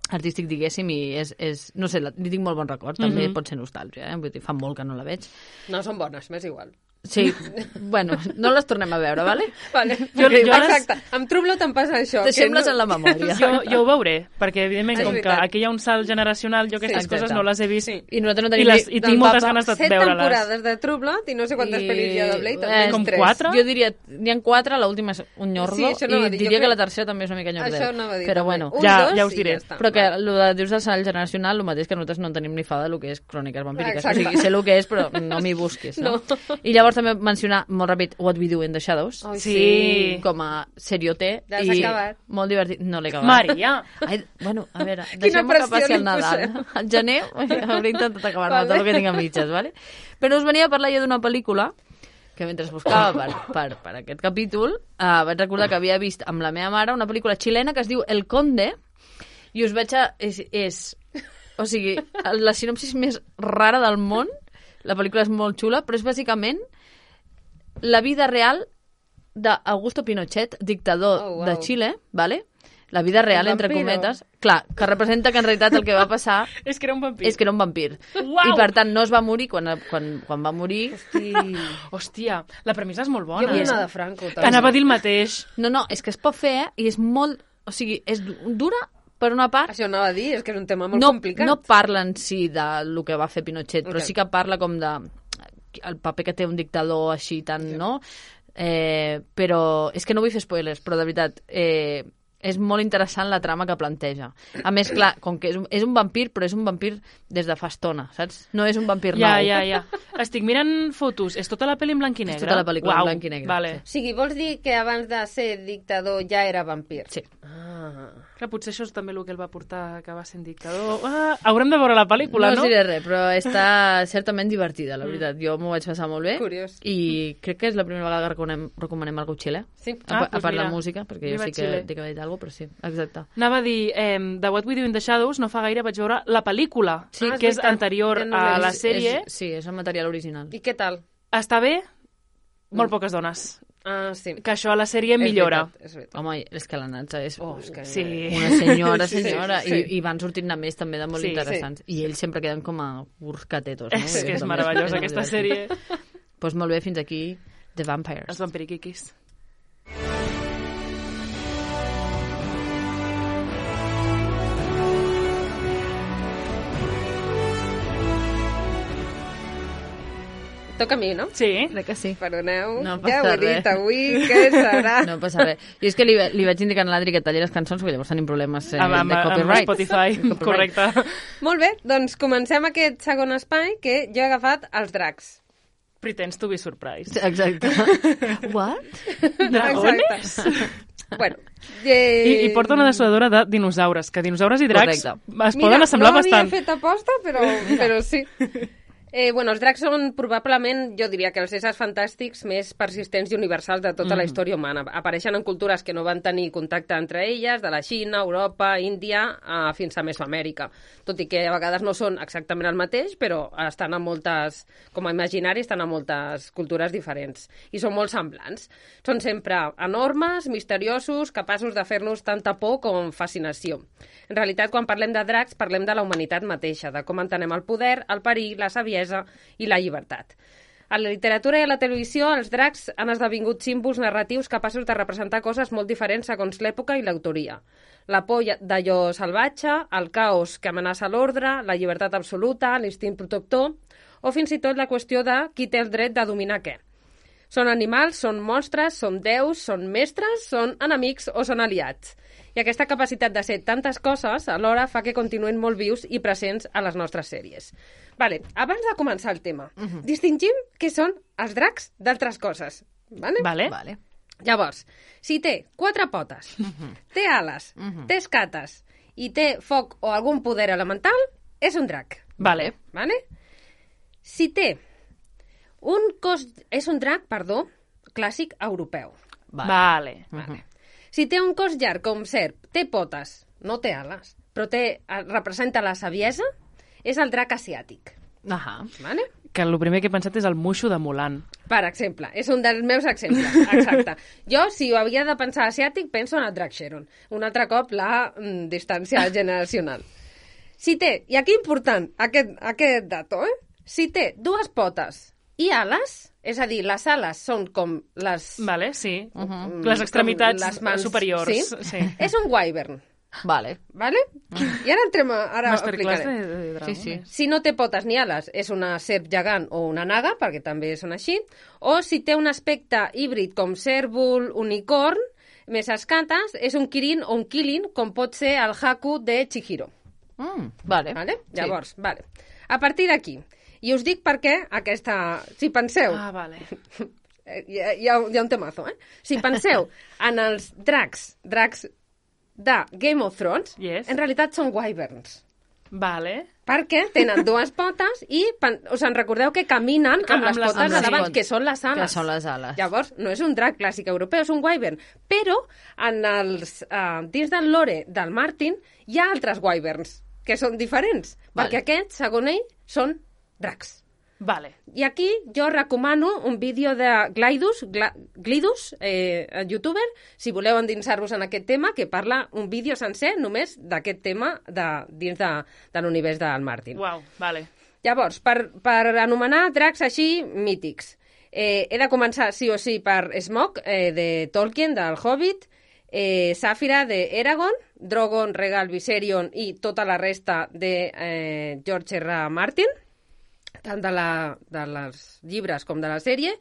artístic, diguéssim, i és, és no sé, la, li tinc molt bon record, també Mhm. pot ser nostàlgia, eh? Vull dir, fa molt que no la veig. No són bones, m'és igual. Sí, bueno, no les tornem a veure, vale? Vale. Jo- jo les- Exacte, amb True Blood em passa això. que Deixem-les no... en la memòria. Jo, jo ho veuré, perquè evidentment És com que veritat. aquí hi ha un salt generacional, jo aquestes Sí, coses exacte. no les he vist. Sí. I nosaltres no I, tenim... les, ni- i del tinc moltes mapa. ganes de Set veure-les. temporades de True Blood i no sé quantes I- pel·lis hi ha de Blade. eh, també com tres. quatre? Jo diria, n'hi ha quatre, l'última és un nyordo, Sí, això anava a i dir, jo diria que crec- la tercera també és una mica nyordeu. Això anava a dir. Però també. bueno, Un, Ja- dos, ja us i diré. està. però que el de dius del salt generacional, el mateix que nosaltres no en tenim ni fa del que és cròniques vampíriques. Exacte. O sigui, sé el que és, però no m'hi busquis, no? No. I llavors també mencionar, molt ràpid, What We Do in the Shadows, Ai, Sí. com a serioté. Ja l'has i acabat. molt divertit. No l'he acabat. Maria! Ai, bueno, a veure, deixem-me que pressió passi li el Nadal. posem. Al gener hauré intentat acabar-me Vale. tot el que tinc a mitges, ¿vale? Però us venia a parlar jo d'una pel·lícula que mentre buscava per, per, per aquest capítol uh, vaig recordar que havia vist amb la meva mare una pel·lícula xilena que es diu El Conde, i us veig a... És, és, o sigui, la sinopsis més rara del món. La pel·lícula és molt xula, però és bàsicament la vida real d'Augusto Pinochet, dictador Oh, wow. de Xile, ¿vale? La vida real, El entre vampiro. cometes. Clar, que representa que en realitat el que va passar És que era un vampir. és que era un vampir. Uau! I per tant no es va morir quan, quan, quan va morir. Hosti. Hòstia, la premissa és molt Jo bona. vull eh? una de Franco. també. Anava a dir el mateix. No, no, és que es pot fer, eh? I és molt... O sigui, és du- dura per una part. Això anava a dir, és que és un tema molt No, complicat. no parla en si de lo que va fer Pinochet, però Ok. sí que parla com de el paper que té un dictador així tan, no? Eh, però és que no vull fer spoilers, però de veritat eh, és molt interessant la trama que planteja. A més, clar, com que és un, és un vampir, però és un vampir des de fa estona, saps? No és un vampir Ja, nou. ja, ja. Estic mirant fotos. És tota la pel·li en blanc i negre? tota la pel·lícula en Uau, blanc i negre, O Vale. sigui, vols dir que abans de ser dictador ja era vampir? Sí. Ah. Clar, potser això és també el que el va portar a acabar sent dictador. Ah, haurem de veure la pel·lícula, No no? us diré res, però està certament divertida, la veritat. Jo m'ho vaig passar molt bé. Curiós. I crec que és la primera vegada que recomanem, recomanem algú xilè. Sí. A, Ah, a pues part mira, de música, perquè jo viva sí que Xile. dic que he dit alguna cosa, però sí, exacte. Anava a dir, eh, de What We Do in the Shadows, no fa gaire vaig veure la pel·lícula, Sí, és que és veritat. anterior Jo no l'he a la vist. sèrie. És, sí, és el material original. I què tal? Està bé, molt Mm. poques dones. Ah, sí. Que això a la sèrie És millora. veritat, és veritat. Home, és que la Natxa és Oh, és que... Sí. una senyora, Sí, sí, senyora, sí. I, i van sortint-ne més també de molt Sí, interessants. I ells sempre queden com a urcatetos, no? És que és També meravellosa molt aquesta divertit. sèrie. Doncs molt bé, fins aquí The Vampires. Els vampiriquiquis. Toca a mi, no? Sí. Crec que sí. Perdoneu, No ja passa ho he res. dit avui, què serà? No passa res. Jo és que li, li vaig indicar a l'Adri que talli les cançons, perquè llavors tenim problemes eh, Amb, amb, de amb copyright. Spotify, De copyright. correcte. Molt bé, doncs comencem aquest segon espai que jo he agafat els dracs. Pretends to be surprised. Exacte. What? Dragones? Exacte. bueno, eh... I, I porta una dessuadora de dinosaures, que dinosaures i dracs Correcte. es poden assemblar no bastant. havia fet aposta, però, però sí. Eh, bueno, els dracs són probablement, jo diria que els éssers fantàstics més persistents i universals de tota mm. la història humana. Apareixen en cultures que no van tenir contacte entre elles, de la Xina, Europa, Índia, eh, fins a Mesoamèrica. Tot i que a vegades no són exactament el mateix, però estan a moltes, com a imaginari, estan a moltes cultures diferents. I són molt semblants. Són sempre enormes, misteriosos, capaços de fer-nos tanta por com fascinació. En realitat, quan parlem de dracs, parlem de la humanitat mateixa, de com entenem el poder, el perill, la saviesa i la llibertat. A la literatura i a la televisió, els dracs han esdevingut símbols narratius capaços de representar coses molt diferents segons l'època i l'autoria. La por d'allò salvatge, el caos que amenaça l'ordre, la llibertat absoluta, l'instint protector, o fins i tot la qüestió de qui té el dret de dominar què. Són animals, són monstres, són déus, són mestres, són enemics o són aliats. I aquesta capacitat de ser tantes coses alhora fa que continuen molt vius i presents a les nostres sèries. Vale, abans de començar el tema, uh -huh. distingim què són els dracs d'altres coses. Vale? Vale. Vale. Llavors, si té quatre potes, uh -huh. té ales, uh -huh. té escates i té foc o algun poder elemental, és un drac. Vale. Vale? Si té un cos... És un drac, perdó, clàssic europeu. Vale. Vale. Uh -huh. Si té un cos llarg com serp, té potes, no té ales, però té, representa la saviesa, és el drac asiàtic. Ahà. Vale? Que el primer que he pensat és el Mushu de Mulan. Per exemple, és un dels meus exemples, exacte. Jo, si ho havia de pensar asiàtic, penso en el drac Sharon. Un altre cop, la mm, distància generacional. Si té, i aquí important, aquest, aquest dato, eh? Si té dues potes i ales, és a dir, les ales són com les... Vale, sí. Uh -huh. Les extremitats les mans, superiors. Sí? Sí. És un wyvern. Vale. Vale? I ara entrem a... Ara Masterclass explicaré. de, de Sí, sí. Si no té potes ni ales, és una serp gegant o una naga, perquè també són així, o si té un aspecte híbrid com cèrvol, unicorn, més escates, és un kirin o un kilin, com pot ser el Haku de Chihiro. Mm, vale. Vale? Llavors, sí. Vale. A partir d'aquí, i us dic per què aquesta... Si penseu... Ah, vale. Hi ha, hi ha, hi ha un temazo, eh? Si penseu en els dracs, dracs de Game of Thrones, yes. En realitat són wyverns. Vale. Perquè tenen dues potes i us en recordeu que caminen que, amb, amb les potes les de davant, potes. que són les ales. Que són les ales. Llavors, no és un drac clàssic europeu, és un wyvern. Però en els, uh, dins del lore del Martin hi ha altres wyverns que són diferents, Vale. perquè aquests, segons ell, són dracs. Vale. I aquí jo recomano un vídeo de Glidus, Gla, Glidus, eh, youtuber, si voleu endinsar-vos en aquest tema, que parla un vídeo sencer només d'aquest tema de, dins de, de l'univers del Martin. Uau, vale. Llavors, per, per anomenar dracs així mítics, eh, he de començar sí o sí per Smaug, eh, de Tolkien, del Hobbit, eh, Sàfira, de Eragon, Drogon, Regal, Viserion i tota la resta de eh, George R. Martin, tant de, la, de les llibres com de la sèrie.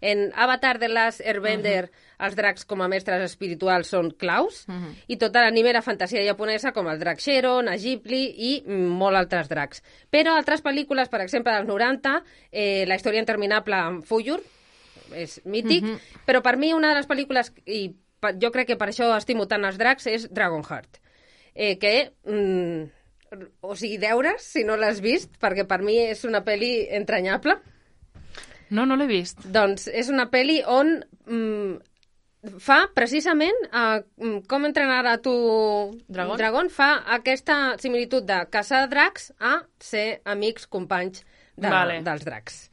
En Avatar de Last Airbender, uh -huh. els dracs com a mestres espirituals són claus, uh -huh. i tota l'anime era fantasia japonesa com el drac Sharon, Ghibli i molt altres dracs. Però altres pel·lícules, per exemple, dels noranta, eh, La història interminable amb Fuyur, és mític, uh -huh. però per mi una de les pel·lícules, i jo crec que per això estimo tant els dracs, és Dragonheart, eh, que... Mm, o sigui, deures, si no l'has vist, perquè per mi és una pel·li entranyable. No, no l'he vist. Doncs és una pel·li on mm, fa precisament uh, com entrenar a tu Dragon? Dragon, fa aquesta similitud de caçar dracs a ser amics, companys de, vale. dels dracs.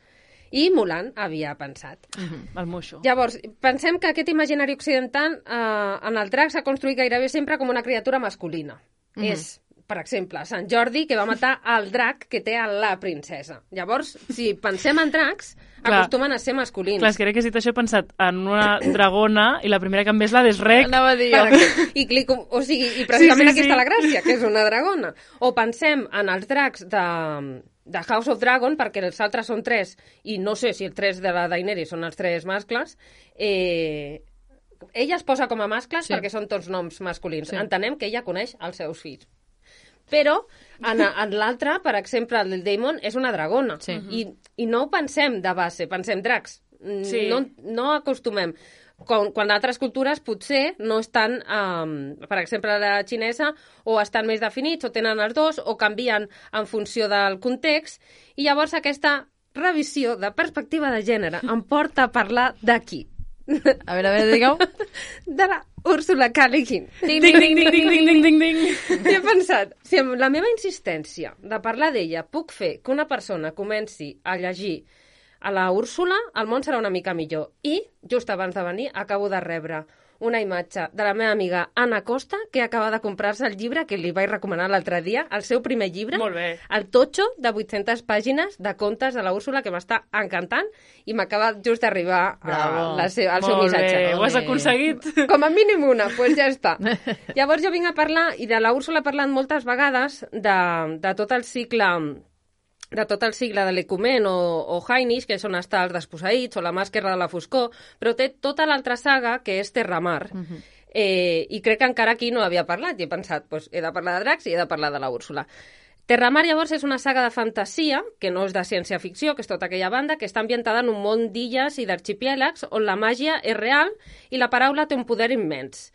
I Mulan havia pensat. Uh -huh. El Mushu. Llavors, pensem que aquest imaginari occidental uh, en el drac s'ha construït gairebé sempre com una criatura masculina. Uh -huh. És per exemple, Sant Jordi, que va matar el drac que té a la princesa. Llavors, si pensem en dracs, clar, acostumen a ser masculins. Clar, és que crec que si t'això he pensat en una dragona i la primera que em ve és la d'Esrec. Anava a dir jo. I, clico, o sigui, i precisament sí, sí, aquí sí. està la gràcia, que és una dragona. O pensem en els dracs de, de House of Dragon, perquè els altres són tres, i no sé si els tres de la Daenerys són els tres mascles, eh, ella es posa com a mascles sí. perquè són tots noms masculins. Sí. Entenem que ella coneix els seus fills. Però en, en l'altre, per exemple, el del Daemon és una dragona. Sí. I, I no ho pensem de base, pensem dracs. Sí. No, no acostumem. Quan, quan altres cultures potser no estan, um, per exemple, la xinesa, o estan més definits, o tenen els dos, o canvien en funció del context. I llavors aquesta revisió de perspectiva de gènere em porta a parlar d'aquí. A veure, a veure, digueu. De la Úrsula K. Le Guin. Ding, ding, ding, ding, ding, ding, ding, ding. I he pensat, si amb la meva insistència de parlar d'ella puc fer que una persona comenci a llegir a la Úrsula, el món serà una mica millor. I, just abans de venir, acabo de rebre una imatge de la meva amiga Anna Costa, que acaba de comprar-se el llibre que li vaig recomanar l'altre dia, el seu primer llibre, Molt bé. el Totxo, de vuit-centes pàgines de contes de la Úrsula, que m'està encantant, i m'acaba just d'arribar Bravo. la seu, el seu Molt missatge. bé, ho has Ole. aconseguit. Com a mínim una, doncs pues ja està. Llavors jo vinc a parlar, i de la Úrsula he parlat moltes vegades, de, de tot el cicle de tot el cicle de l'Ecumen o, o Hainish, que són hasta els desposseïts, o la màscara de la foscor, però té tota l'altra saga, que és Terramar, uh -huh. eh, i crec que encara aquí no havia parlat, i he pensat, pues, he de parlar de dracs i he de parlar de la Úrsula. Terramar, llavors, és una saga de fantasia, que no és de ciència-ficció, que és tota aquella banda, que està ambientada en un món d'illes i d'arxipièlags, on la màgia és real i la paraula té un poder immens.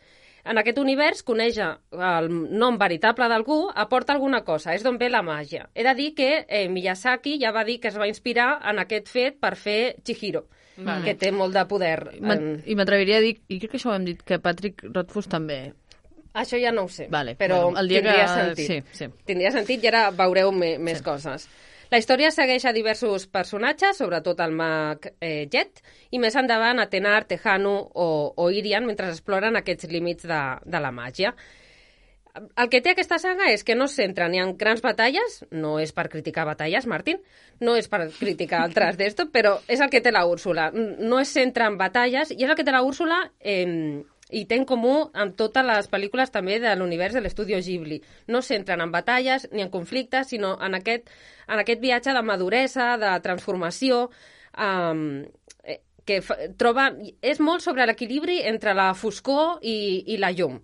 En aquest univers, conèixer el nom veritable d'algú aporta alguna cosa, és d'on ve la màgia. He de dir que eh, Miyazaki ja va dir que es va inspirar en aquest fet per fer Chihiro, Vale. que té molt de poder. M'at- I m'atreviria a dir, i crec que això ho hem dit, que Patrick Rothfuss també. Això ja no ho sé, Vale, però bueno, el dia tindria que- sentit. sí, sí. Tindria sentit i ara veureu me, més sí. coses. La història segueix a diversos personatges, sobretot el mag eh, Jet, i més endavant a Tenar, Tejanu o, o Irian, mentre exploren aquests límits de, de la màgia. El que té aquesta saga és que no es centra ni en grans batalles, no és per criticar batalles, Martín, no és per criticar altres d'esto, però és el que té la Úrsula. No es centra en batalles i és el que té la Úrsula eh, i té en comú amb totes les pel·lícules també de l'univers de l'estudio Ghibli. No es centren en batalles ni en conflictes, sinó en aquest, en aquest viatge de maduresa, de transformació, eh, que fa, troba... És molt sobre l'equilibri entre la foscor i, i la llum.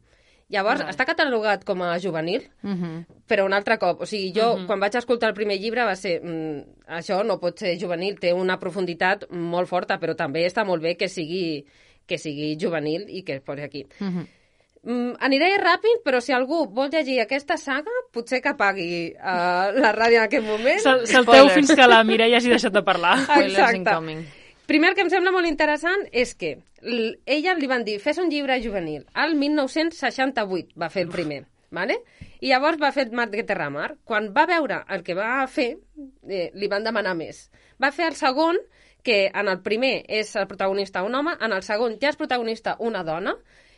Llavors, Vale. està catalogat com a juvenil, Uh -huh. però un altre cop. O sigui, jo, Uh-huh. quan vaig escoltar el primer llibre, va ser... Mm, això no pot ser juvenil, té una profunditat molt forta, però també està molt bé que sigui, que sigui juvenil i que es posi aquí. Uh -huh. Mm, aniré ràpid, però si algú vol llegir aquesta saga, potser que apagui uh, la ràdio en aquest moment. Sal salteu Spoilers. fins que la Mireia hagi deixat de parlar. Spoilers Exacte. incoming. Primer que em sembla molt interessant és que l- ella li van dir, fes un llibre juvenil. El mil nou-cents seixanta-vuit va fer el primer, ¿vale? I llavors va fer Mar de Terramar. Quan va veure el que va fer, eh, li van demanar més. Va fer el segon, que en el primer és el protagonista un home, en el segon ja és protagonista una dona,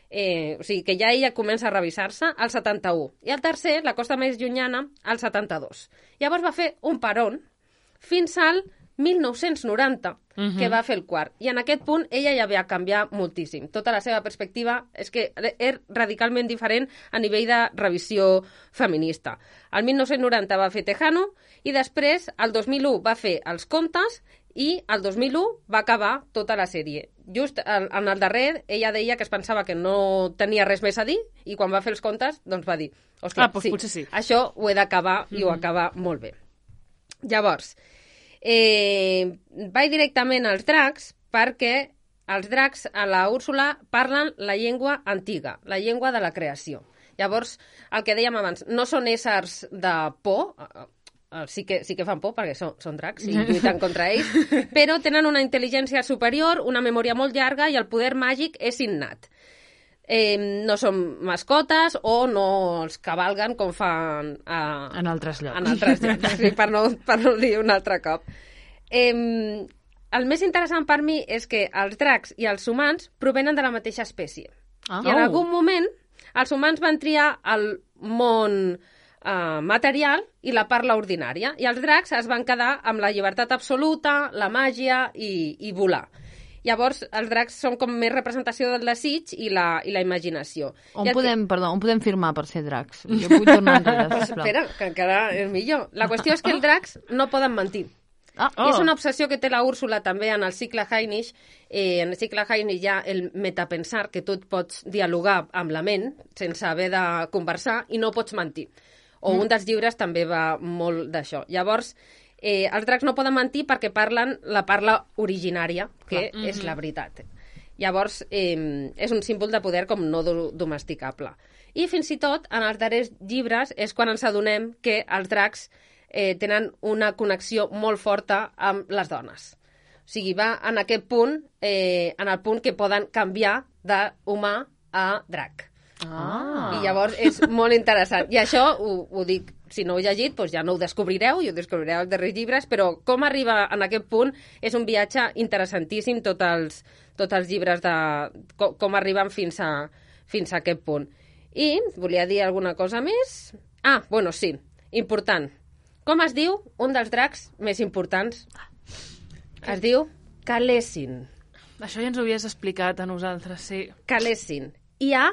eh, o sigui que ja ella comença a revisar-se al setanta-u. I el tercer, la costa més llunyana, al setanta-dos. Llavors va fer un peron fins al mil nou-cents noranta, Mhm. que va fer el quart. I en aquest punt ella ja va canviar moltíssim. Tota la seva perspectiva és que és radicalment diferent a nivell de revisió feminista. El mil nou-cents noranta va fer Tejano i després, el dos mil u, va fer els contes i el dos mil u va acabar tota la sèrie. Just en, en el darrer, ella deia que es pensava que no tenia res més a dir i quan va fer els contes, doncs va dir, hòstia, Ah, doncs sí, potser sí. això ho he d'acabar i ho acaba molt bé. Llavors, eh, vaig directament als dracs perquè els dracs a la Úrsula parlen la llengua antiga, la llengua de la creació. Llavors, el que dèiem abans, no són éssers de por, eh, eh, sí que, sí que fan por perquè són, són dracs i lluiten contra ells, però tenen una intel·ligència superior, una memòria molt llarga i el poder màgic és innat. Eh, no són mascotes o no els cavalguen com fan a, En altres llocs. en altres llocs, sí, per, no, per no dir un altre cop. Eh, el més interessant per mi és que els dracs i els humans provenen de la mateixa espècie. Ah. I en Oh. algun moment els humans van triar el món eh, material i la parla ordinària, i els dracs es van quedar amb la llibertat absoluta, la màgia i, i volar. Llavors, els dracs són com més representació del desig i la, i la imaginació. On I el que- podem, perdó, on podem firmar per ser dracs? Jo vull tornar enrere, Pues sisplau. espera, que encara és millor. La qüestió és que els dracs no poden mentir. Ah, Oh. És una obsessió que té la Úrsula també en el cicle Hainish. Eh, en el cicle Hainish hi ha el metapensar, que tu et pots dialogar amb la ment sense haver de conversar i no pots mentir. O mm. un dels llibres també va molt d'això. Llavors, eh, els dracs no poden mentir perquè parlen la parla originària, que Clar. és la veritat. Llavors, eh, és un símbol de poder com no do- domesticable. I fins i tot, en els darrers llibres, és quan ens adonem que els dracs eh, tenen una connexió molt forta amb les dones. O sigui, va en aquest punt, eh, en el punt que poden canviar d'humà a drac. Ah. I llavors és molt interessant. I això ho, ho dic si no ho heu llegit, doncs ja no ho descobrireu, i ho descobrireu als darrers llibres, però com arriba en aquest punt és un viatge interessantíssim, tots els, tots els llibres de com, com arriben fins a, fins a aquest punt. I volia dir alguna cosa més? Ah, bueno, sí, important. Com es diu un dels dracs més importants? Es diu Khaleesi. Això ja ens ho havies explicat a nosaltres, sí. Khaleesi. Hi ha,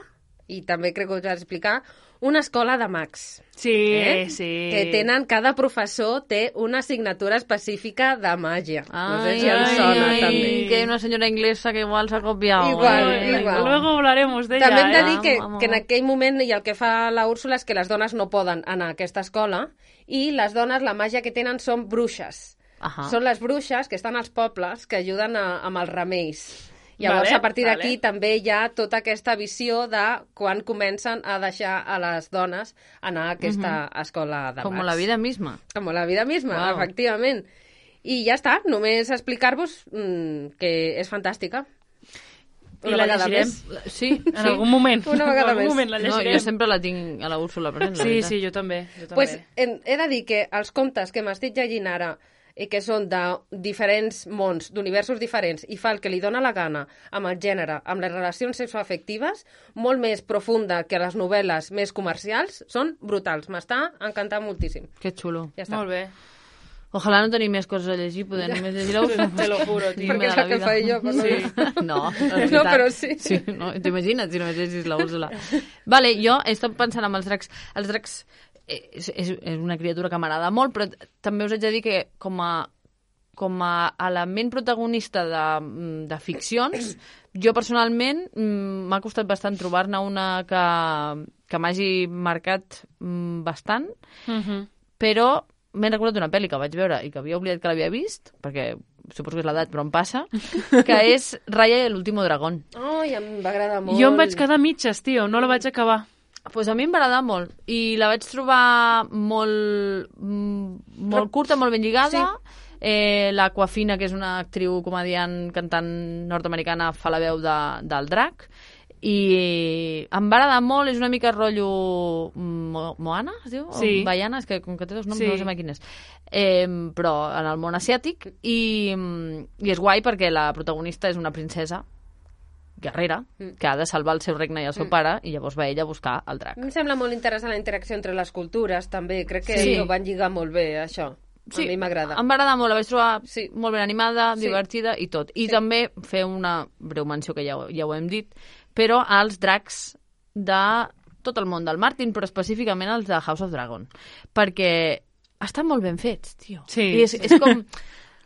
i també crec que us vaig explicar, una escola de mags. Sí, eh? sí. Que tenen, cada professor té una assignatura específica de màgia. Ai, no sé si ens sona, ai, també. que hay una señora inglesa que igual se ha copiado. Igual, eh? igual. Luego hablaremos d'ella, També hem de eh? dir que, Vamos, que en vamos. aquell moment, i el que fa la Úrsula, és que les dones no poden anar a aquesta escola, i les dones, la màgia que tenen són bruixes. Ahà. Són les bruixes que estan als pobles que ajuden a, amb els remeis. Llavors, Vale, a partir d'aquí vale. també hi ha tota aquesta visió de quan comencen a deixar a les dones anar a aquesta escola de Como mags. la vida misma. Com la vida misma, Wow. efectivament. I ja està, només explicar-vos mmm, que és fantàstica. I la vegada llegirem. més. Sí, En algun moment. Una vegada en algun més. moment la No, llegirem. jo sempre la tinc a la Úrsula present, la Sí, veritat. sí, jo també. Jo també. Pues, he, he de dir que els contes que m'estic llegint ara i que són de diferents mons, d'universos diferents, i fa el que li dóna la gana amb el gènere, amb les relacions sexoafectives, molt més profunda que les novel·les més comercials, són brutals. M'està encantant moltíssim. Que xulo. Ja està. Molt bé. Ojalà no tenir més coses a llegir, poder només llegir la Úrsula. Te lo juro, tio. Perquè és el que faig jo, per no dir. No, No, però sí. sí no, t'imagina't si només llegis la Úrsula. Vale, jo he estat pensant amb els dracs. Els dracs és, és, és una criatura que m'agrada molt, però també us haig de dir que com a, com a element protagonista de, de ficcions, jo personalment m'ha costat bastant trobar-ne una que, que m'hagi marcat bastant, Mhm. però m'he recordat una pel·li que vaig veure i que havia oblidat que l'havia vist, perquè suposo que és l'edat, però em passa, que és Raya y el último dragón. Ai, em va agradar molt. Jo em vaig quedar a mitges, tio, no la vaig acabar. Pues a mi em va agradar molt i la vaig trobar molt, mm, molt curta, molt ben lligada. Sí. Eh, l'Aquafina, que és una actriu, comediant, cantant nord-americana, fa la veu de, del drac. I em va agradar molt, és una mica rotllo Mo Moana, es diu? Sí. O Baiana, és que com que té dos noms Sí. no sé mai quin és. Eh, però en el món asiàtic i, i és guai perquè la protagonista és una princesa guerrera que ha de salvar el seu regne i el seu pare i llavors va ella a buscar el drac. Em sembla molt interessant la interacció entre les cultures, també. Crec que Sí. ho van lligar molt bé, això. A mi m'agrada. Em va agradar molt, la vaig trobar Sí. molt ben animada, Sí. divertida i tot. I Sí. també fer una breu menció, que ja, ho- ja ho hem dit, però als dracs de tot el món del Martin, però específicament els de House of Dragon. Perquè estan molt ben fets, tio. Sí. I és, és com...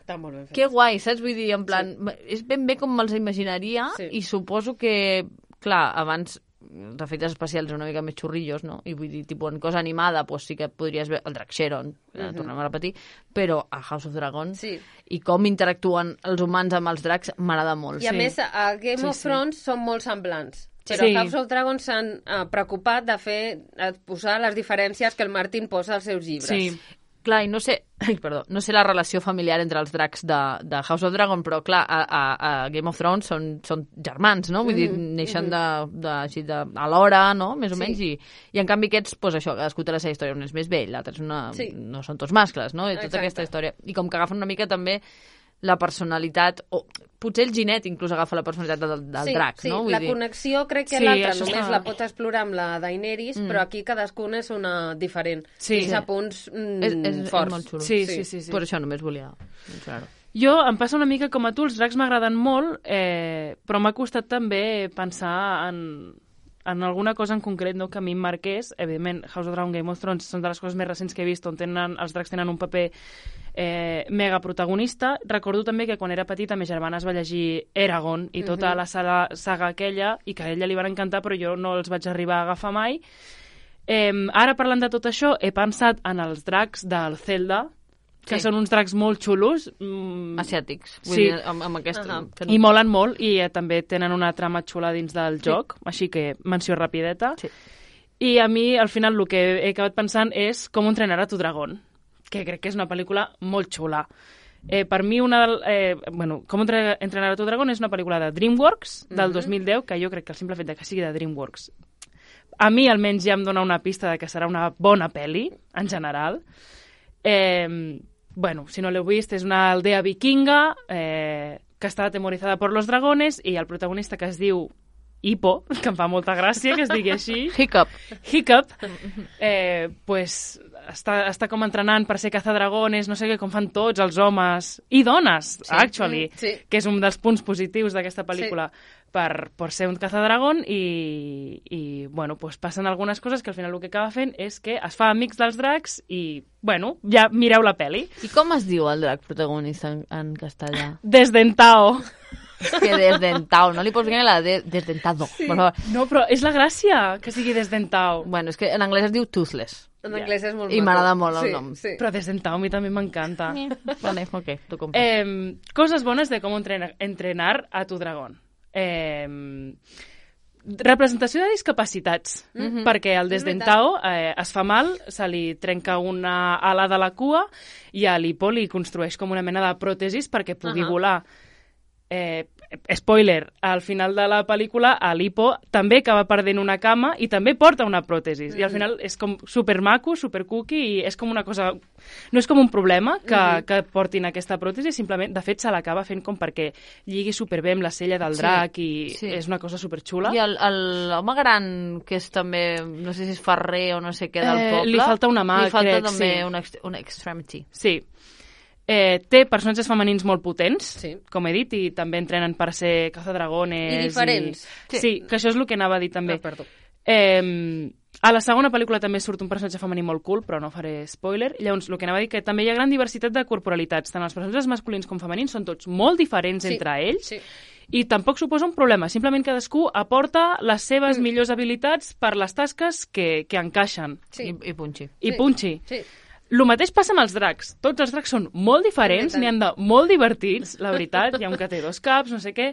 Està molt ben fet. Que guai, saps? Vull dir, en plan, és ben bé com me'ls imaginaria Sí. i suposo que, clar, abans els efectes especials una mica més xurrillos, no? I vull dir, tipus, en cosa animada, pues sí que podries veure el Drac Sharon, que uh -huh. tornem a repetir, però a House of Dragon Sí. i com interactuen els humans amb els dracs m'agrada molt. I a Sí. més, a Game Sí, of sí. Thrones són molt semblants. Però Sí. House of Dragons s'han uh, preocupat de fer de posar les diferències que el Martin posa als seus llibres. Sí. Clar, i no sé, ai, perdó, no sé la relació familiar entre els dracs de, de House of Dragon, però clar, a, a, a Game of Thrones són, són germans, no? Vull dir, neixen de, de, així de, alhora, no? Més o Sí. menys, i, i en canvi aquests, doncs això, cadascú té la seva història, un és més vell, l'altre és una... Sí. no són tots mascles, no? I tota Exacte. aquesta història. I com que agafen una mica també la personalitat, o potser el Ginet inclús agafa la personalitat del, del sí, drac, sí, no? Vull la dir... connexió crec que Sí, l'altra això només està- la pots explorar amb la Daenerys, mm. però aquí cadascuna és una diferent. Sí. Fins a punts mm, És, és, és forts. molt xulo. Sí, Sí. sí, sí. sí. Per això només volia mencionar-ho. Jo em passa una mica com a tu, els dracs m'agraden molt, eh, però m'ha costat també pensar en, en alguna cosa en concret, no?, que a mi em marqués. Evidentment, House of Dragon, Game of Thrones són de les coses més recents que he vist on tenen, els dracs tenen un paper eh, mega protagonista. Recordo també que quan era petita ma germana es va llegir Eragon i tota la saga, saga aquella, i que a ella li van encantar, però jo no els vaig arribar a agafar mai. Eh, ara, parlant de tot això, he pensat en els dracs del Zelda, que Sí. són uns dracs molt xulos. Mm, Asiàtics. Vull Sí. dir, amb, amb aquest... Ahà. que- i molen molt, i eh, també tenen una trama xula dins del joc, així que menció rapideta. Sí. I a mi, al final, el que he acabat pensant és Com entrenar a tu dragón, que crec que és una pel·lícula molt xula. Eh, per mi, una del, eh, bueno, Com entre- entrenar a tu dragón és una pel·lícula de DreamWorks, del dos mil deu, que jo crec que el simple fet de que sigui de DreamWorks a mi almenys ja em dona una pista de que serà una bona pel·li, en general. Eh, bueno, si no l'heu vist, és una aldea vikinga eh, que està atemorizada per los dragones i el protagonista, que es diu Hippo, que em fa molta gràcia que es digui així. Hiccup. Hiccup. Eh, pues, està, està com entrenant per ser cazadragones, no sé què, com fan tots els homes i dones, sí. actually, Mm, sí. que és un dels punts positius d'aquesta pel·lícula, sí. per, per ser un cazadragon i, i bueno, pues passen algunes coses que al final el que acaba fent és que es fa amics dels dracs i, bueno, ja mireu la pel·li. I com es diu el drac protagonista en, en castellà? Desdentao. És que desdentado, no li pots dir la de desdentado, sí. per favor. No, però és la gràcia, que sigui desdentao. Bueno, és que en anglès es diu toothless. En anglès és molt I maco. m'agrada molt el sí, nom. Sí. Però desdentao a mi també m'encanta. Vale, ok, t'ho compro. Eh, coses bones de com entrenar, entrenar a tu dragón. Eh, representació de discapacitats, mm-hmm. perquè el desdentao eh, es fa mal, se li trenca una ala de la cua i a l'Hippo li construeix com una mena de pròtesis perquè pugui uh-huh. volar. Eh, spoiler, al final de la pel·lícula l'Hippo també acaba perdent una cama i també porta una pròtesis mm-hmm. i al final és com supermaco, supercookie i és com una cosa, no és com un problema que, mm-hmm. que portin aquesta pròtesi, simplement, de fet se l'acaba fent com perquè lligui superbé amb la cella del drac sí, i sí. és una cosa superxula. I l'home gran que és també, no sé si és ferrer o no sé què del poble, eh, li falta una mà, li falta crec, també sí. una, una extremity. Sí. Eh, té personatges femenins molt potents, sí. com he dit, i també entrenen per ser cazadragones. I diferents. I... Sí. sí, que això és el que anava a dir també. Ah, perdó. Eh, a la segona pel·lícula també surt un personatge femení molt cool, però no faré spoiler. Llavors, el que anava a dir que també hi ha gran diversitat de corporalitats. Tant els personatges masculins com femenins són tots molt diferents sí. entre ells. Sí. I tampoc suposa un problema, simplement cadascú aporta les seves mm. millors habilitats per les tasques que, que encaixen. Sí. I, i punxi. I sí. punxi. Sí. El mateix passa amb els dracs. Tots els dracs són molt diferents, n'hi han de molt divertits, la veritat. Hi ha un que té dos caps, no sé què.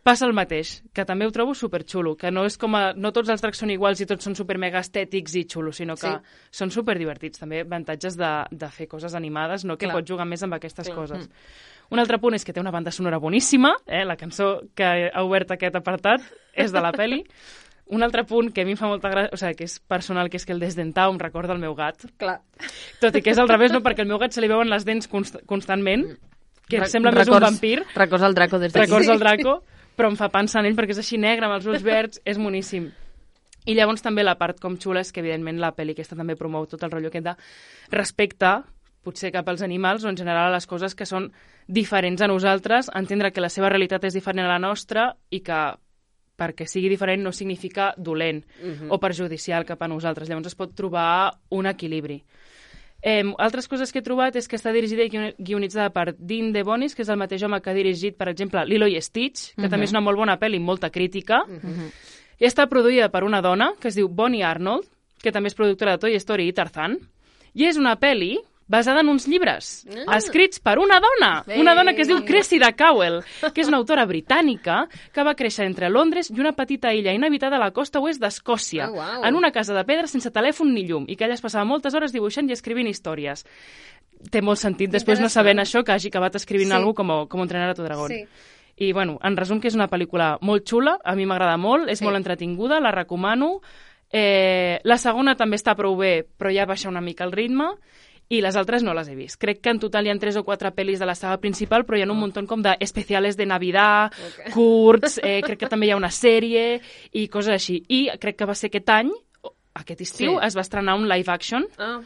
Passa el mateix, que també ho trobo superxulo, que no és com a... No tots els dracs són iguals i tots són supermega estètics i xulos, sinó que sí. són superdivertits. També avantatges de, de fer coses animades, no? Que Clar. pots jugar més amb aquestes Clar. coses. Mm. Un altre punt és que té una banda sonora boníssima, eh? La cançó que ha obert aquest apartat és de la peli. Un altre punt que a mi em fa molta gràcia, o sigui, que és personal, que és que el desdentau em recorda el meu gat. Clar. Tot i que és al revés, no? Perquè al meu gat se li veuen les dents const constantment, que Re sembla records, més un vampir. Records el Draco des d'aquí. Records el Draco, però em fa pensar en ell perquè és així negre, amb els ulls verds, és moníssim. I llavors també la part com xula és que, evidentment, la pel·li aquesta també promou tot el rotllo aquest de respecte, potser cap als animals o en general a les coses que són diferents a nosaltres, entendre que la seva realitat és diferent a la nostra i que perquè sigui diferent no significa dolent uh-huh. o perjudicial cap a nosaltres. Llavors es pot trobar un equilibri. Eh, altres coses que he trobat és que està dirigida i guionitzada per Dean DeBonis, que és el mateix home que ha dirigit, per exemple, Lilo i Stitch, que uh-huh. també és una molt bona pel·li, molta crítica. Uh-huh. I està produïda per una dona que es diu Bonnie Arnold, que també és productora de Toy Story i Tarzan, i és una pel·li basada en uns llibres, ah. escrits per una dona, Ei. una dona que es diu Cressida Cowell, que és una autora britànica que va créixer entre Londres i una petita illa inhabitada a la costa oest d'Escòcia, oh, wow. en una casa de pedra sense telèfon ni llum, i que ella es passava moltes hores dibuixant i escrivint històries. Té molt sentit, després no sabent això, que hagi acabat escrivint sí. alguna cosa com, com entrenar a tu dragón. Sí. I, bueno, en resum, que és una pel·lícula molt xula, a mi m'agrada molt, és sí. molt entretinguda, la recomano. Eh, la segona també està prou bé, però ja baixa una mica el ritme, i les altres no les he vist. Crec que en total hi ha tres o quatre pel·lis de la saga principal, però hi ha un munt com d'especiales de Navidad, okay. curts, eh, crec que també hi ha una sèrie i coses així. I crec que va ser aquest any, aquest estiu, sí. es va estrenar un live action, ah.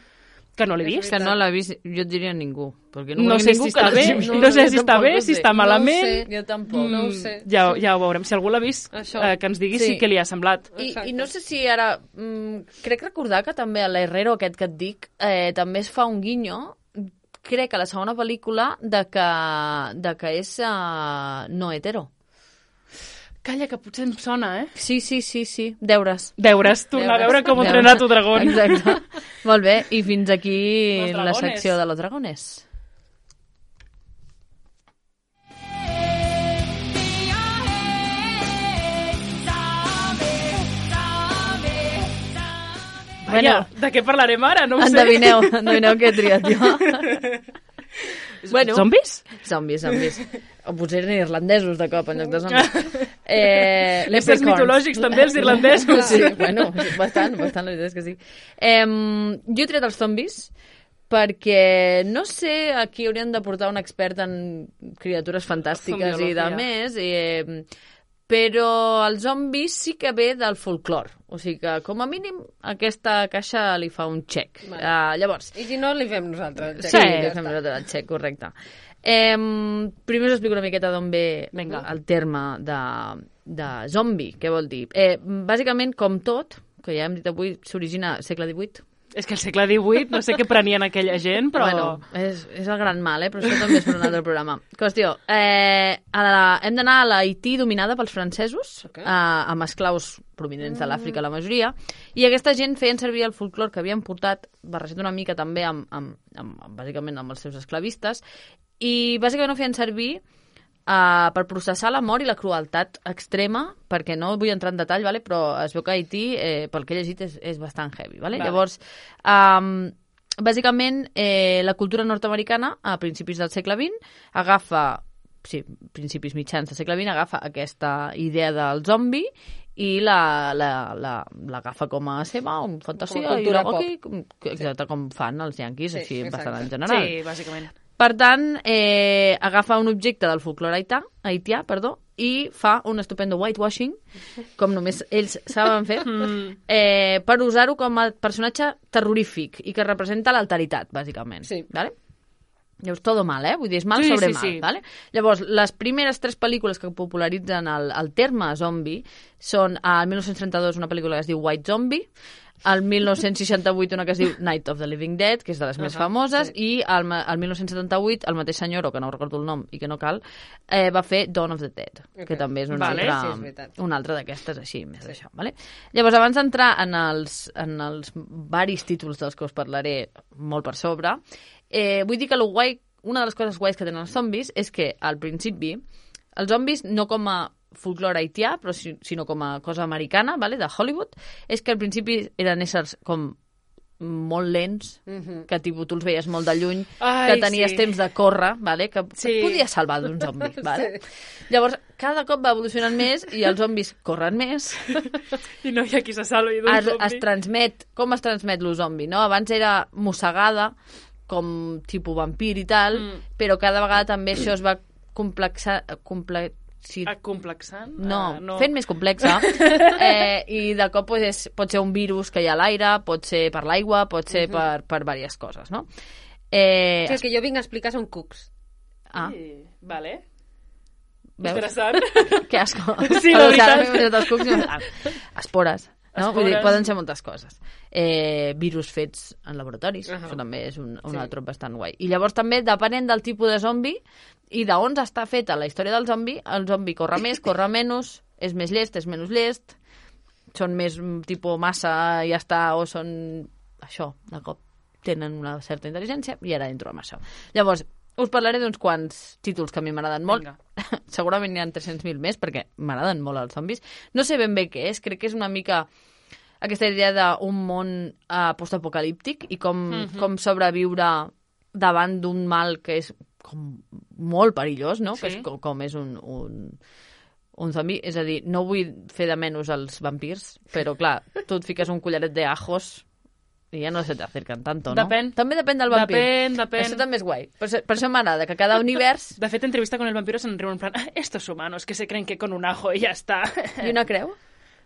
que no l'he vist. Que no l'ha vist, jo diria ningú. Perquè no no sé si està bé, no, no sé si està bé, si està malament. No ho sé, jo tampoc, no ho sé. Ja, ja ho veurem. Si algú l'ha vist, eh, que ens digui sí. sí que li ha semblat. I, I no sé si ara... Mm, crec recordar que també a l'Herrero, aquest que et dic, eh, també es fa un guinyo, crec, a la segona pel·lícula, de que, de que és uh, no hetero. Calla, que potser em sona, eh? Sí, sí, sí, sí. Deures. Deures, tornar a veure com Deures. Entrenar tu dragón. Exacte. Molt bé, i fins aquí la secció de los dragones. Vaja, bueno, de què parlarem ara? No ho endevineu, sé. Endevineu què he triat jo. Bueno, zombis? Zombis, zombis. O potser eren irlandesos de cop, en lloc de zombis. Eh, Éssers mitològics, també, els irlandesos. Sí, bueno, bastant, bastant, la veritat és que sí. Eh, jo he tret els zombis perquè no sé, aquí haurien de portar un expert en criatures fantàstiques i de més, eh, però el zombi sí que ve del folclore. O sigui que, com a mínim, aquesta caixa li fa un check. Vale. Uh, llavors... I si no, li fem nosaltres el check. Sí, li fem nosaltres el check, correcte. Eh, primer us explico una miqueta d'on ve Venga. el terme de, de zombi, què vol dir. Eh, bàsicament, com tot, que ja hem dit avui, s'origina al segle divuit. És que al segle divuit, no sé què prenien aquella gent, però... Bueno, és, és el gran mal, eh? Però això també és per un altre programa. Qüestió, eh, a la, hem d'anar a l'Haití dominada pels francesos, okay. eh, amb esclaus provinents de l'Àfrica, la majoria, i aquesta gent feien servir el folclore que havien portat, barrejat una mica també amb, amb, amb, amb, bàsicament amb els seus esclavistes, i bàsicament ho feien servir Uh, per processar la mort i la crueltat extrema, perquè no vull entrar en detall, vale? Però es veu que Haití, eh, pel que he llegit, és, és bastant heavy. Vale? Vale. Llavors, um, bàsicament, eh, la cultura nord-americana, a principis del segle vint, agafa, sí, principis mitjans del segle vint, agafa aquesta idea del zombi i l'agafa la, la, la com a seva, un fantasia, i aquí, exacte, sí. Com fan els yanquis, sí, així exacte. Bastant en general. Sí, bàsicament. Per tant, eh, agafa un objecte del folclore haitià, haitià perdó, i fa un estupendo whitewashing, com només ells saben fer, eh, per usar-ho com a personatge terrorífic i que representa l'alteritat, bàsicament. Sí. Vale? Llavors, todo mal, eh? Vull dir, és mal sí, sobre sí, mal, sí. Vale? Llavors, les primeres tres pel·lícules que popularitzen el, el terme zombi són, al mil nou-cents trenta-dos, una pel·lícula que es diu White Zombie, al mil nou-cents seixanta-vuit una que es diu Night of the Living Dead, que és de les uh-huh, més famoses, sí. I al, al mil nou-cents setanta-vuit el mateix senyor, que no recordo el nom i que no cal, eh, va fer Dawn of the Dead, okay. Que també és una vale, altra, sí, una altra d'aquestes així, més sí. D'això. Vale? Llavors, abans d'entrar en els, en els varis títols dels que us parlaré molt per sobre, eh, vull dir que lo guai, una de les coses guais que tenen els zombis és que, al principi, els zombis no com a folclore haitià, però sinó com a cosa americana, vale, de Hollywood, és que al principi eren éssers com molt lents, uh-huh. Que tipus, tu els veies molt de lluny, Ai, que tenies sí. temps de córrer, vale, que sí. Et podies salvar d'un zombi. Vale? Sí. Llavors, cada cop va evolucionant més i els zombis corren més. I no hi ha qui se salvi d'un es, zombi. Es transmet, com es transmet lo zombi, no? Abans era mossegada, com tipus vampir i tal, mm. però cada vegada també això es va complexar... Comple Sí. Complexant? No, uh, no, fent més complexa. eh, I de cop pues, és, pot ser un virus que hi ha a l'aire, pot ser per l'aigua, pot ser uh -huh. per, per diverses coses, no? Eh, sí, el que jo vinc a explicar són cucs. Ah. Sí, vale. Veus? Interessant. Que asco. Sí, la veritat. Els cucs, ah, espores. No? Vull dir, poden ser moltes coses. Eh, virus fets en laboratoris, uh -huh. Això també és un, un sí. altre trop bastant guai. I llavors també, depenent del tipus de zombi i d'on està feta la història del zombi, el zombi corre més, corre menys, és més llest, és menys llest, són més tipus massa i ja està, o són això, de cop tenen una certa intel·ligència i ara entro amb això. Llavors, us parlaré d'uns quants títols que a mi m'agraden molt. Segurament n'hi ha tres-cents mil més, perquè m'agraden molt els zombis. No sé ben bé què és, crec que és una mica aquesta idea d'un món uh, postapocalíptic i com, uh -huh. com sobreviure davant d'un mal que és com molt perillós, no? Sí. Que és com, com és un, un, un zombi. És a dir, no vull fer de menys els vampirs, però clar, tu et fiques un collaret d'ajos i ja no se t'acerquen tanto, no? Depèn. També depèn del vampir. Depèn, depèn. Això també és guai. Per, per això m'agrada, que cada univers... De fet, entrevista con el vampiro se'n riuen en plan, ah, estos humanos que se creen que con un ajo y ya está. I una creu?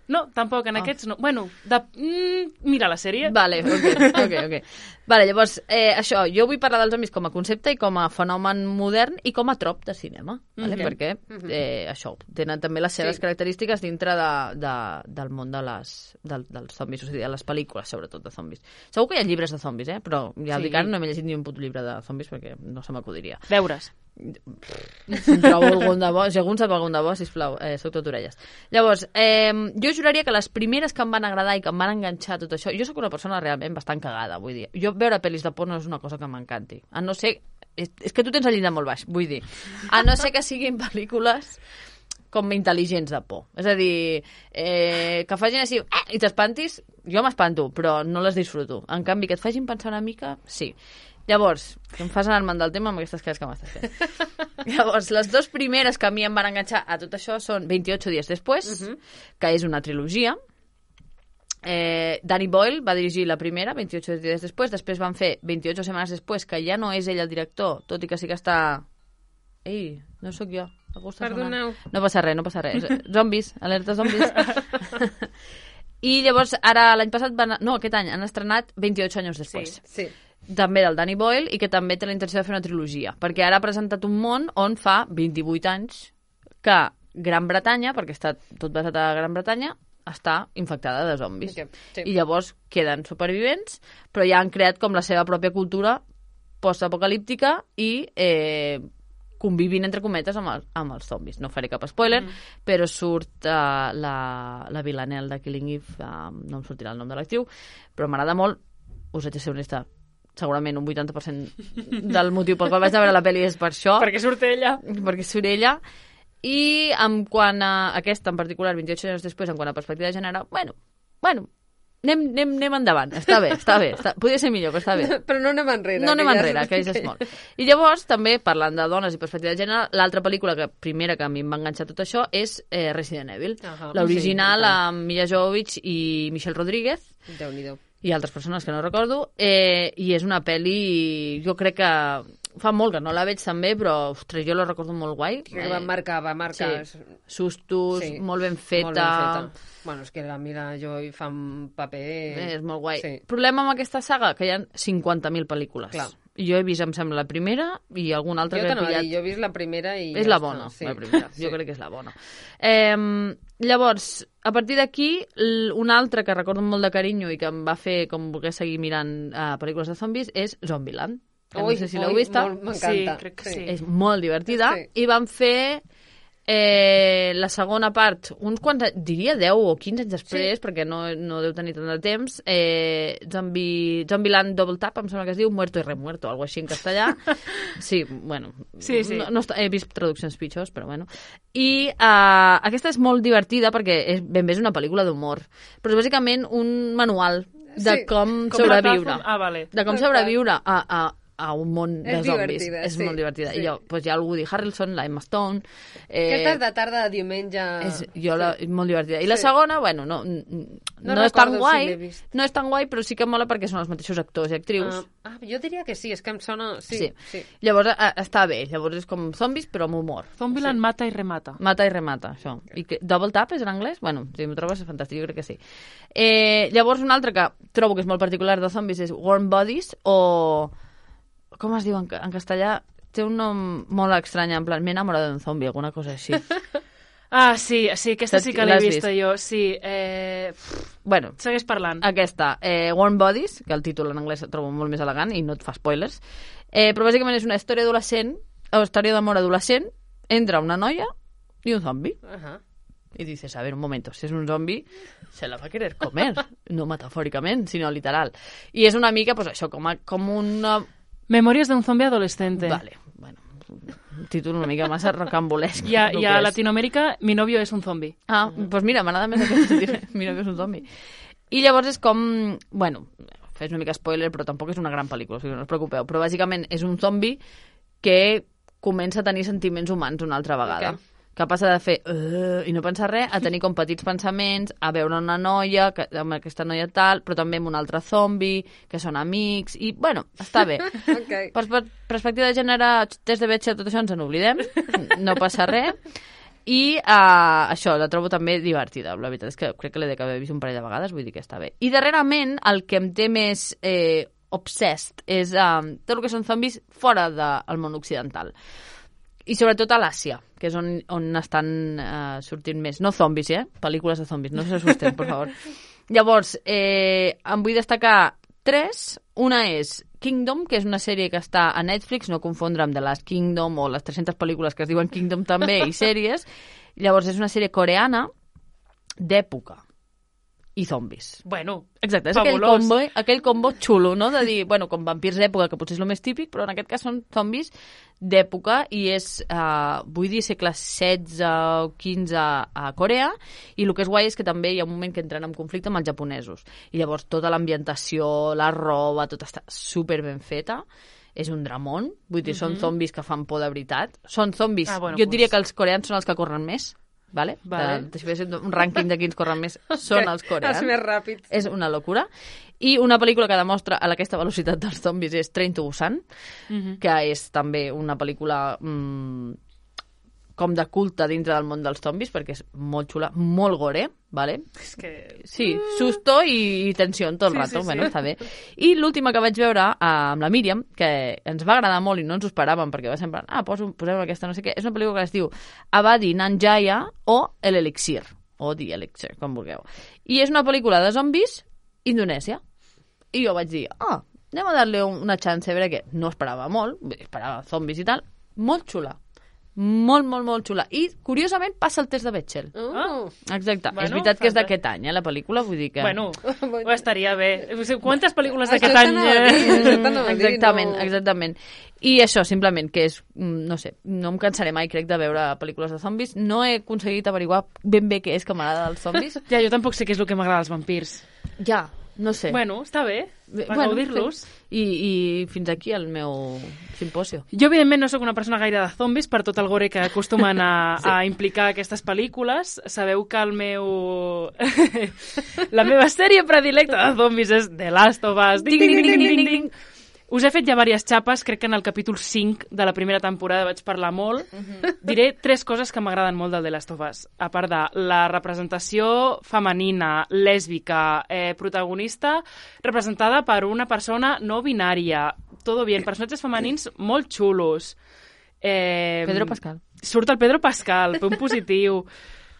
No, tampoc, en oh. aquests no. Bueno, de... mm, mira la sèrie. Vale, ok, ok, ok. Vale, llavors, eh, això, jo vull parlar dels zombis com a concepte i com a fenomen modern i com a trop de cinema, vale? Okay. Perquè eh, això, tenen també les seves sí. característiques dintre de, de, del món de les, de, dels zombis, o sigui, de les pel·lícules, sobretot, de zombis. Segur que hi ha llibres de zombis, eh? Però ja sí. dic ara, no m'he llegit ni un puto llibre de zombis perquè no se m'acudiria. Deures. Si trobo algun de bo, si algun sap algun de bo, sisplau, eh, soc tot orelles. Llavors, eh, jo juraria que les primeres que em van agradar i que em van enganxar tot això, jo sóc una persona realment bastant cagada, vull dir, jo veure pel·lis de porno és una cosa que m'encanti, a no ser, és, és que tu tens el llindar molt baix, vull dir, a no ser que siguin pel·lícules com intel·ligents de por. És a dir, eh, que facin així eh, i t'espantis, jo m'espanto, però no les disfruto. En canvi, que et facin pensar una mica, sí. Llavors, que em fas anar-me'n del tema amb aquestes cares que m'estàs fent. Llavors, les dues primeres que a mi em van enganxar a tot això són veintiocho dies després, uh-huh. que és una trilogia. Eh, Danny Boyle va dirigir la primera, veintiocho dies després, després van fer veintiocho setmanes després, que ja no és ell el director, tot i que sí que està... Ei, no sóc jo. Perdoneu. No passa res, no passa res. Zombis, alerta zombis. I llavors, ara l'any passat, van... no, aquest any, han estrenat veintiocho anys després. Sí, sí. També del Danny Boyle, i que també té la intenció de fer una trilogia, perquè ara ha presentat un món on fa vint-i-vuit anys que Gran Bretanya, perquè està tot basat a Gran Bretanya, està infectada de zombis. Okay, sí. I llavors queden supervivents, però ja han creat com la seva pròpia cultura postapocalíptica i eh, convivint, entre cometes, amb, el, amb els zombis. No faré cap spoiler, mm. però surt uh, la, la Villanelle de Killing Eve, uh, no em sortirà el nom de l'actriu, però m'agrada molt, us haig de ser honesta, segurament un vuitanta per cent del motiu pel qual vaig a veure la pel·li és per això. Perquè surt ella. Perquè surt ella. I en quant a aquesta, en particular, veintiocho anys després, en quant a perspectiva de gènere, bueno, bueno, anem, anem, anem endavant. Està bé, està bé. Està... Podria ser millor, però està bé. Però no anem enrere. No anem que enrere, ja... que és molt. I llavors, també, parlant de dones i perspectiva de gènere, l'altra pel·lícula que primera que a mi em va enganxar tot això és eh, Resident Evil. Uh-huh. L'original sí, amb Milla Jovovich i Michelle Rodríguez. Déu-n'hi-do. I altres persones que no recordo, eh, i és una pel·li, jo crec que fa molt que no la veig també, però ostres, jo la recordo molt guai. Que va marcar, va marcar. Sí. Sustos, sí. molt ben feta. Molt ben feta. Bueno, és que la Mila Jovovich fa un paper... Eh, és molt guai. Sí. Problema amb aquesta saga, que hi ha cinquanta mil pel·lícules. Clar. Jo he vist, em sembla, la primera i alguna altra jo que he pillat. Jo he vist la primera i... És ja la bona, sí. la primera. Jo sí. crec que és la bona. Eh, llavors, a partir d'aquí, una altra que recordo molt de carinyo i que em va fer com voler seguir mirant uh, pel·lícules de zombis és Zombieland. Que ui, no sé si l'heu vista. M'encanta. Sí, crec que sí. És molt divertida. Sí. I van fer... Eh, la segona part, uns quants, diria deu o quinze anys després, sí. perquè no, no deu tenir tant de temps, eh, Zombie, Zombieland Double Tap, em sembla que es diu Muerto y Remuerto, algo així en castellà. Sí, bueno, sí, sí. No, no està, he vist traduccions pitjors, però bueno. I eh, aquesta és molt divertida perquè és, ben bé és una pel·lícula d'humor, però és bàsicament un manual de sí. com, com sobreviure. Ah, vale. De com sobreviure a... a a un món de és zombis. És sí, molt divertida. Sí. I jo, doncs hi ha el Woody Harrelson, la Emma Stone... Eh, Aquesta és de tarda de diumenge... És, jo sí. la, molt divertida. I sí. la segona, bueno, no, no, no és tan guai, si no és tan guai, però sí que mola perquè són els mateixos actors i actrius. Ah, ah jo diria que sí, és que em sona... Sí, sí. sí. Llavors a, està bé, llavors és com zombis, però amb humor. Zombieland sí. mata i remata. Mata i remata, això. Okay. I que, double tap és en anglès? Bueno, si m'ho trobes és fantàstic, jo crec que sí. Eh, llavors una altra que trobo que és molt particular de zombis és Warm Bodies, o... com es diu en, en castellà? Té un nom molt estrany, en plan, m'he enamorat d'un zombi, alguna cosa així. Ah, sí, sí, aquesta sí que l'he vista jo, sí. Eh... Bueno, segueix parlant. Aquesta, eh, Warm Bodies, que el títol en anglès el trobo molt més elegant i no et fa spoilers, eh, però bàsicament és una història adolescent, o història d'amor adolescent, entre una noia i un zombi. Uh-huh. Y dices, a ver, un momento, si es un zombi, se la va a querer comer, no metafòricament, sinó literal. I és una mica, pues això, com, a, com una... Memòries d'un zombi adolescente. Vale, bueno, un títol una mica massa rocambolesc. I a, i a Latinoamèrica, mi novio és un zombi. Ah, doncs pues mira, m'agrada més aquest mi novio és un zombi. I llavors és com, bueno, fes una mica spoiler, però tampoc és una gran pel·lícula, o sigui, no us preocupeu, però bàsicament és un zombi que comença a tenir sentiments humans una altra vegada. Okay. Que passa de fer uh, i no pensar res a tenir com petits pensaments, a veure una noia, que, amb aquesta noia tal, però també amb un altre zombi, que són amics, i, bueno, està bé. Okay. Per, per perspectiva de gènere, test de vetxa, tot això ens en oblidem, no passa res. I uh, això, la trobo també divertida. La veritat és que crec que l'he d'haver vist un parell de vegades, vull dir que està bé. I darrerament, el que em té més eh, obsessed és um, tot el que són zombis fora del món occidental. I sobretot a l'Àsia, que és on, on estan uh, sortint més. No zombis, eh? Pel·lícules de zombis, no s'assusten, per favor. Llavors, eh, em vull destacar tres. Una és Kingdom, que és una sèrie que està a Netflix, no confondre amb The Last Kingdom o les tres-centes pel·lícules que es diuen Kingdom també, i sèries. Llavors, és una sèrie coreana d'època. i zombis. Bueno, Exacte, és aquell fabulós. combo, aquell combo xulo, no? De dir, bueno, com vampirs d'època, que potser és el més típic, però en aquest cas són zombis d'època i és, uh, vull dir, segle setze o quinze a Corea, i el que és guai és que també hi ha un moment que entren en conflicte amb els japonesos. I llavors tota l'ambientació, la roba, tot està super ben feta. És un dramón, vull dir, mm-hmm. són zombis que fan por de veritat. Són zombis, ah, bueno, jo pues... diria que els coreans són els que corren més, vale? Vale. De, si fes un rànquing de quins corren més, són els coreans. Els més ràpids. És una locura. I una pel·lícula que demostra a aquesta velocitat dels zombis és Train to Busan, mm-hmm. que és també una pel·lícula mmm, com de culte dintre del món dels zombis, perquè és molt xula, molt gore, vale? És que... Sí, susto i, i tensió tot el sí, rato, sí, bueno, sí. està bé. I l'última que vaig veure uh, amb la Míriam, que ens va agradar molt i no ens ho esperàvem, perquè va sempre, ah, poso, posem aquesta no sé què, és una pel·lícula que es diu Abadi Nanjaya o El Elixir, o The Elixir, com vulgueu. I és una pel·lícula de zombis indonèsia. I jo vaig dir, ah, anem a dar-li una chance, a veure què. No esperava molt, esperava zombis i tal, molt xula. Molt, molt, molt xula. I, curiosament, passa el test de Bechdel. Uh. Exacte. Bueno, és veritat que és fanta- d'aquest any, eh, la pel·lícula, vull dir que... Bueno, ho estaria bé. O sigui, quantes pel·lícules Això d'aquest any... t'anava a dir, això t'anava a dir, Exactament, no. exactament. I això, simplement, que és, mm, no sé, no em cansaré mai, crec, de veure pel·lícules de zombis. No he aconseguit averiguar ben bé què és que m'agrada dels zombis. Ja, jo tampoc sé què és el que m'agrada dels vampirs. Ja, no sé. Bueno, està bé, Bé, per bueno, gaudir-los. sí. I, I fins aquí el meu simposio. Jo, evidentment, no sóc una persona gaire de zombis per tot el gore que acostumen a, sí. a implicar aquestes pel·lícules. Sabeu que el meu... la meva sèrie predilecta de zombis és The Last of Us. Ding, ding, ding, ding, ding, ding. Us he fet ja diverses xapes, crec que en el capítol cinc de la primera temporada vaig parlar molt. Uh-huh. Diré tres coses que m'agraden molt del The Last of Us. A part de la representació femenina, lèsbica, eh, protagonista, representada per una persona no binària. Todo bien. Personatges femenins molt xulos. Eh, Pedro Pascal. Surt el Pedro Pascal, punt positiu.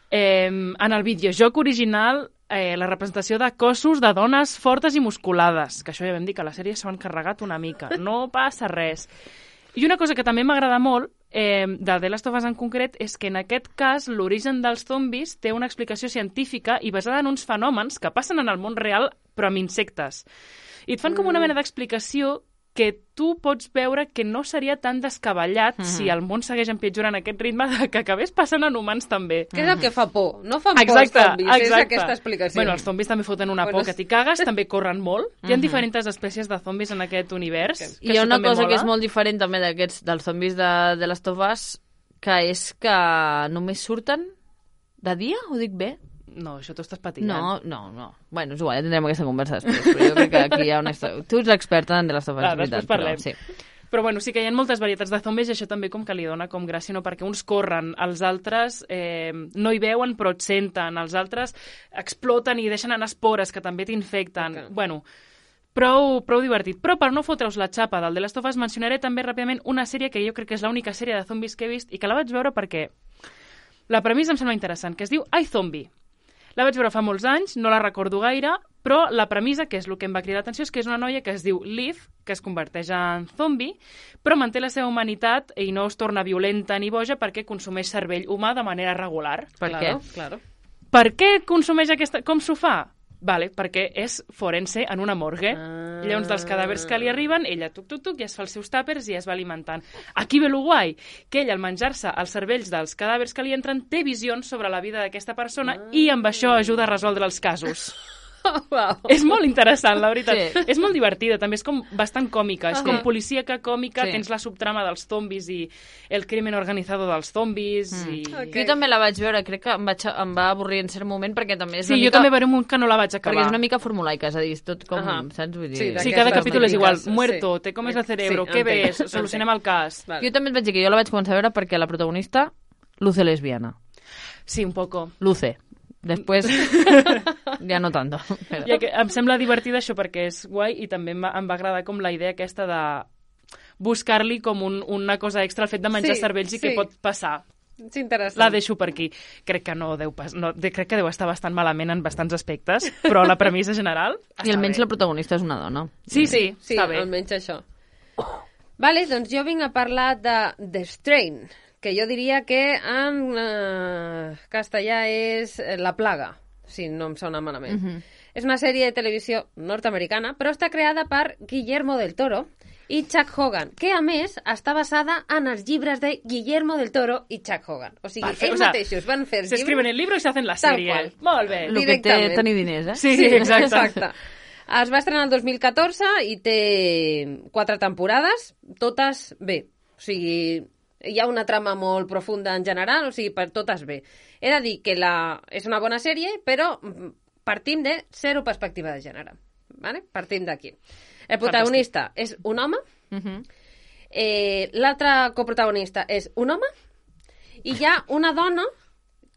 Eh, en el videojoc original, eh, la representació de cossos de dones fortes i musculades, que això ja vam dir que a la sèrie s'ho han carregat una mica. No passa res. I una cosa que també m'agrada molt, eh, de The Last of Us en concret, és que en aquest cas l'origen dels zombis té una explicació científica i basada en uns fenòmens que passen en el món real, però amb insectes. I et fan com una mena d'explicació que tu pots veure que no seria tan descabellat mm-hmm. si el món segueix empitjorant aquest ritme de que acabés passant en humans també. Què és el que fa por? No fan exacte, por els zombis, exacte. és aquesta explicació. Bueno, els zombis també foten una Bueno, por que t'hi cagues, també corren molt. Hi ha Mhm. diferents espècies de zombis en aquest univers. Okay. Que I hi ha això una també cosa mola. que és molt diferent també d'aquests dels zombis de, de Last of Us, que és que només surten de dia, ho dic bé? No, això t'ho estàs patillant. No, no, no. Bueno, és igual, ja tindrem aquesta conversa després, però jo crec que aquí hi ha una història. Tu ets l'experta en The Last of Us, Ah, és veritat, després parlem. però sí. Però bueno, sí que hi ha moltes varietats de zombis i això també com que li dona com gràcia, no? Perquè uns corren, els altres eh, no hi veuen però et senten, els altres exploten i deixen anar espores que també t'infecten. Okay. Bueno, prou, prou divertit. Però per no fotre-us la xapa del The Last of Us mencionaré també ràpidament una sèrie que jo crec que és l'única sèrie de zombis que he vist i que la vaig veure perquè la premissa em sembla interessant, que es diu iZombie. La vaig veure fa molts anys, no la recordo gaire, però la premissa, que és el que em va cridar l'atenció, és que és una noia que es diu Liv, que es converteix en zombi, però manté la seva humanitat i no es torna violenta ni boja perquè consumeix cervell humà de manera regular. Per claro, què? Claro. Per què consumeix aquesta... Com s'ho fa? Vale, perquè és forense en una morgue. Ah. Llavors, dels cadàvers que li arriben, ella tuc, tuc, tuc, i es fa els seus tàpers i es va alimentant. Aquí ve lo guai, que ella, al menjar-se els cervells dels cadàvers que li entren, té visions sobre la vida d'aquesta persona ah. i amb això ajuda a resoldre els casos. Oh, wow. És molt interessant, la veritat. Sí. És molt divertida, també és com bastant còmica. És Uh-huh. com policíaca còmica, Sí. tens la subtrama dels zombis i el crimen organitzado dels zombis. Mm. I... Ok. Jo també la vaig veure, crec que em, vaig, em va avorrir en cert moment perquè també és Sí, una jo mica... també veuré un munt que no la vaig acabar. Perquè és una mica formulaica, és a dir, és tot com, Ahà. saps? Vull dir... Sí, Sí, d'aquestes cada capítol és igual. típiques, Muerto, sí. te comes el cerebro, Sí, què entenc, ves? Solucionem el cas. Vale. Jo també et vaig dir que jo la vaig començar a veure perquè la protagonista luce lesbiana. Sí, un poco. Luce. Després, ja no tanto. Però... Ja que em sembla divertida això perquè és guai i també em va, em va agradar com la idea aquesta de buscar-li com un, una cosa extra al fet de menjar Sí, cervells i sí. què pot passar. És interessant. La deixo per aquí. Crec que no deu pas, no, de, crec que deu estar bastant malament en bastants aspectes, però la premissa general I almenys bé. la protagonista és una dona. Sí, sí, Sí, està bé. almenys això. Vale, doncs jo vinc a parlar de The Strain, que jo diria que en uh, castellà és La plaga. si no em sona malament. Mhm. És una sèrie de televisió nord-americana, però està creada per Guillermo del Toro i Chuck Hogan, que a més està basada en els llibres de Guillermo del Toro i Chuck Hogan. O sigui, Perfecte. ells O sea, mateixos van fer els Se escriben llibres... el libro y se hacen la Tal serie. qual. Molt bé. El que té Directament. tenir diners, eh? Sí, sí, exacte. exacte. Es va estrenar el dos mil catorze i té quatre temporades, totes bé. O sigui, hi ha una trama molt profunda en general, o sigui, per totes bé. He de dir que la... és una bona sèrie, però partim de zero perspectiva de gènere. Vale? Partim d'aquí. El protagonista Fantàstic. és un home, Mhm. eh, l'altre coprotagonista és un home, i hi ha una dona